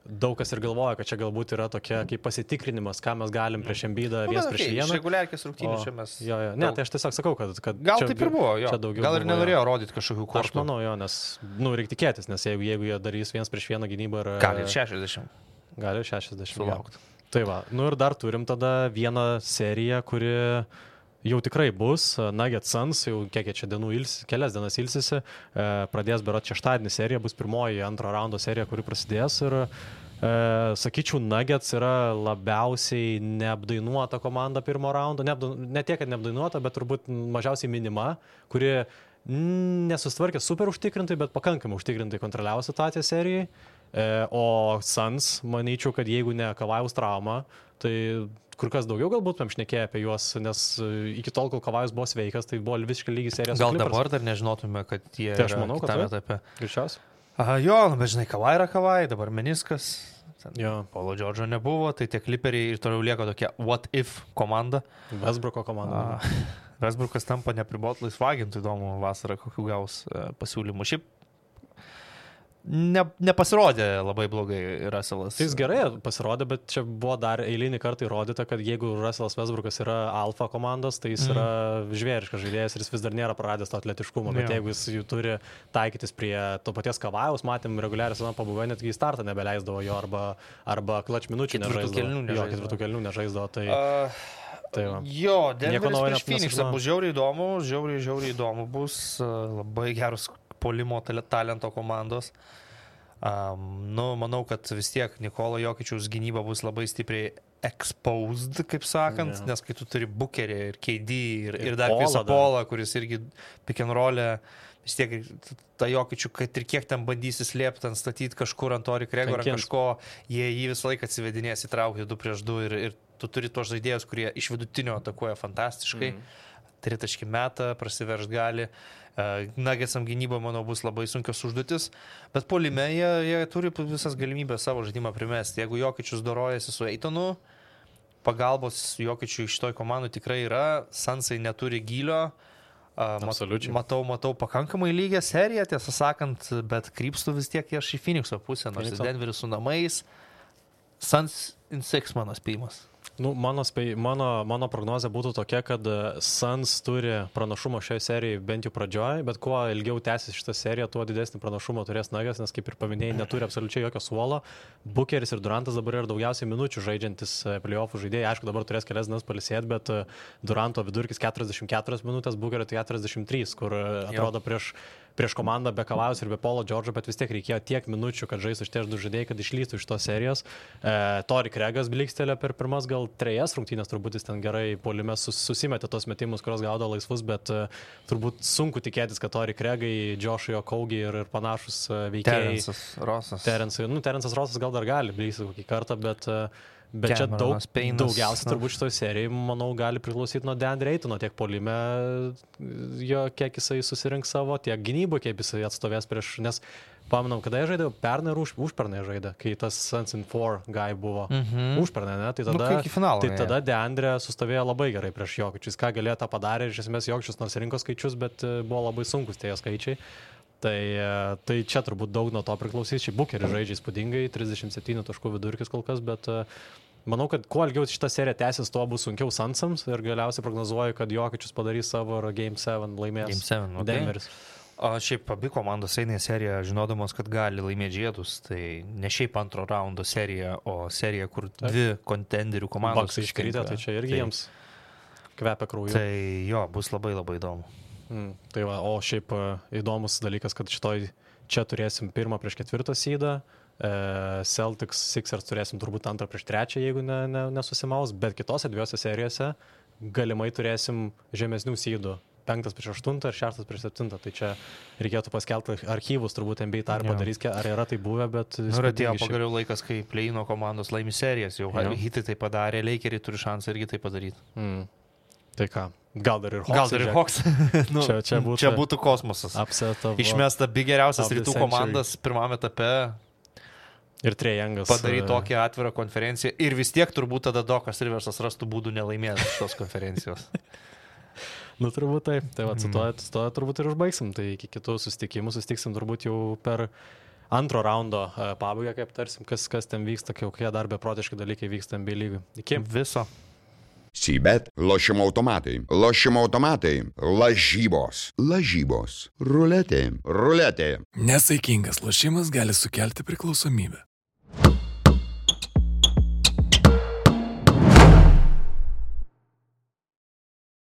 daug kas ir galvoja, kad čia galbūt yra tokia kaip pasitikrinimas, ką mes galim prieš Embiidą 1-1. Iš reguliarkės rungtynių čia mes... Ne, tai aš tiesiog sakau, kad gal taip ir buvo, jo. Gal ir nenorėjo rodyti kažkokių kortų. Aš manau, jo, nes, reikia tikėtis, nes jeigu jie darys 1-1 gynybą ir... Gali ir 60. Gali 60 sulaukti. Tai va, ir dar turim tada vieną seriją, kuri jau tikrai bus. Nuggets Suns, jau kiek čia kelias dienas ilsisi, pradės berods šeštadienį serija, bus pirmoji antro raundo serija, kuri prasidės ir sakyčiau, Nuggets yra labiausiai neapdainuota komanda pirmo raundo, ne tiek, kad neapdainuota, bet turbūt mažiausiai minima, kuri nesustvarkė super užtikrintai, bet pakankamai užtikrintai kontroliavo situaciją serijai. O Suns, manyčiau, kad jeigu ne Kavajaus trauma, tai kur kas daugiau galbūt šnekėjo apie juos, nes iki tol, kol Kavajus buvo sveikas, tai buvo visiškai lygiai serija su Clippers. Gal dabar dar nežinotume, kad jie tai aš manau, kitame etape. Greičiausiai. Jo, bet žinai, Kavai yra Kavai, dabar meniskas. Paulo Džordžo nebuvo, tai tie Clipperiai ir toliau lieka tokia what if komanda. Westbrooko komanda. Westbrookas tampa nepribot laisvagintų, įdomu vasarą kokių gaus pasiūlymų. Šiaip nepasirodė labai blogai Russellas. Jis gerai pasirodė, bet čia buvo dar eilinį kartą įrodyta, kad jeigu Russellas Westbrookas yra alfa komandos, tai jis yra žvėriškas žaidėjas ir jis vis dar nėra praradęs to atletiškumo, bet jeigu jis jų turi taikytis prie to paties Kavajaus, matėm reguliariai sezono pabaigoje, netgi į startą nebeleisdavo jo arba clutch minučių nežaisdavo. Ketvirtų kėlinių nežaisdavo. Denveris prieš Phoenixą bus žiauriai įdomu bus, labai gerus polimo talento komandos. Manau, kad vis tiek Nikolo Jokičiaus gynyba bus labai stipriai exposed, kaip sakant, nes kai tu turi Bookerį ir KD ir dar Chrisą Paulą, kuris irgi pick and roll'e, vis tiek tą Jokičių, kad ir kiek ten bandysi slėpti, statyti kažkur ant Tori Krego ar kažko, jie jį visą laiką atsivedinės įtraukti 2-2 ir tu turi tos žaidėjus, kurie iš vidutinio atakuoja fantastiškai, tritaškį metą, prasiverš gali. Nuggetsam gynyba, manau, bus labai sunkios užduotis, bet puolime jie turi visas galimybės savo žaidimą primesti. Jeigu Jokičius dorojasi su Eitonu, pagalbos Jokičiui iš toj komandų tikrai yra, Sunsai neturi gylio, matau pakankamai lygią seriją, tiesą sakant, bet krypstu vis tiek aš į Phoenixo pusę, nors Denveris su namais, Suns in 6 mano spėjimas. Mano prognozė būtų tokia, kad Suns turi pranašumą šioje serijoje bent jau pradžioje, bet kuo ilgiau tęsis šitą seriją, tuo didesnį pranašumą turės Nuggets, nes kaip ir paminėjai, neturi absoliučiai jokio suolo. Bookeris ir Durantas dabar yra daugiausiai minučių žaidžiantis playoffų žaidėjai. Aišku, dabar turės kelias dienas pailsėti, bet Duranto vidurkis 44 minutės, Bookerio 43, kur atrodo prieš komandą be Kavajaus ir be Paulo Džordžo, bet vis tiek reikėjo tiek minučių, kad žaistų šitie du žaidėjai, kad išlystų iš tos serijos. Tori Kregas blikstelė per pirmas gal 3 rungtynės, turbūt jis ten gerai puolime susimetė tos metimus, kurios gaudo laisvus, bet turbūt sunku tikėtis, kad Tori Kregai, Joshua Kaugi ir panašus veikėjai. Terensas Rosas gal dar gali bliksti kokį kartą, bet čia daugiausia turbūt šitoj serijai, manau, gali priklausyti nuo DeAndre Aytono, tiek puolime, kiek jisai susirinks savo, tiek gynyboje, kiek jisai atstovės prieš, nes pamanau, kada jie žaidė, pernai ir užpernai žaidė, kai tas Suns in 4 guy buvo užpernai, ne? Tai tada DeAndre sustovėjo labai gerai prieš Jokičius, ką galėjo tą padarė, iš esmės Jokičius nors rinko skaičius, bet buvo labai sunkus tie skaičiai. Tai čia turbūt daug nuo to priklausys. Šiaip Bukeris žaidžia įspūdingai, 37 taškų vidurkis kol kas, bet manau, kad kuo ilgiau šitą seriją tęsis, tuo bus sunkiau Sunsams ir galiausiai prognozuoju, kad Jokičius padarys savo ir Game 7 laimės. Game 7, Denveris. Šiaip abi komandos eina į seriją, žinodamos, kad gali laimėti žiedus. Tai ne šiaip antro raundo serija, o serija, kur dvi kontenderių komandos. Bucks iškrito, tai čia irgi jiems kvepia krauju. Tai jo, bus labai labai įdomu. Tai va, o šiaip įdomus dalykas, kad čia turėsim 1 prieš 4 seedą, Celtics, Sixers turėsim turbūt 2 prieš 3, jeigu nesusimaus, bet kitose 2 serijose galimai turėsim žemesnių seedų, 5 prieš 8 ir 6 prieš 7, tai čia reikėtų paskelbti archyvus, turbūt NBA tą ir padarys, ar yra tai buvę, bet... Ir atėjo pagaliau laikas, kai play-ino komandos laimi serijas, jau Hitai tai padarė, Lakeriai turi šansą irgi tai padaryti. Tai ką, gal dar ir Hawks. Čia būtų kosmosas. Išmesta geriausias rytų komandas pirmame etape. Ir Trejangas. Padaryti tokią atvirą konferenciją. Ir vis tiek turbūt tada Dokas Riversas rastų būdų nelaimėti šitos konferencijos. Turbūt taip. Tai va, su to turbūt ir užbaigsim. Tai iki kitų susitikimų susitiksim turbūt jau per antro raundo pabaigą, kaip tarsim, kas ten vyksta, kokie dar beprotiški dalykai vyksta NBA lygui. Iki viso. Sybet, lošimo automatai, lažybos, ruletė. Nesaikingas lošimas gali sukelti priklausomybę.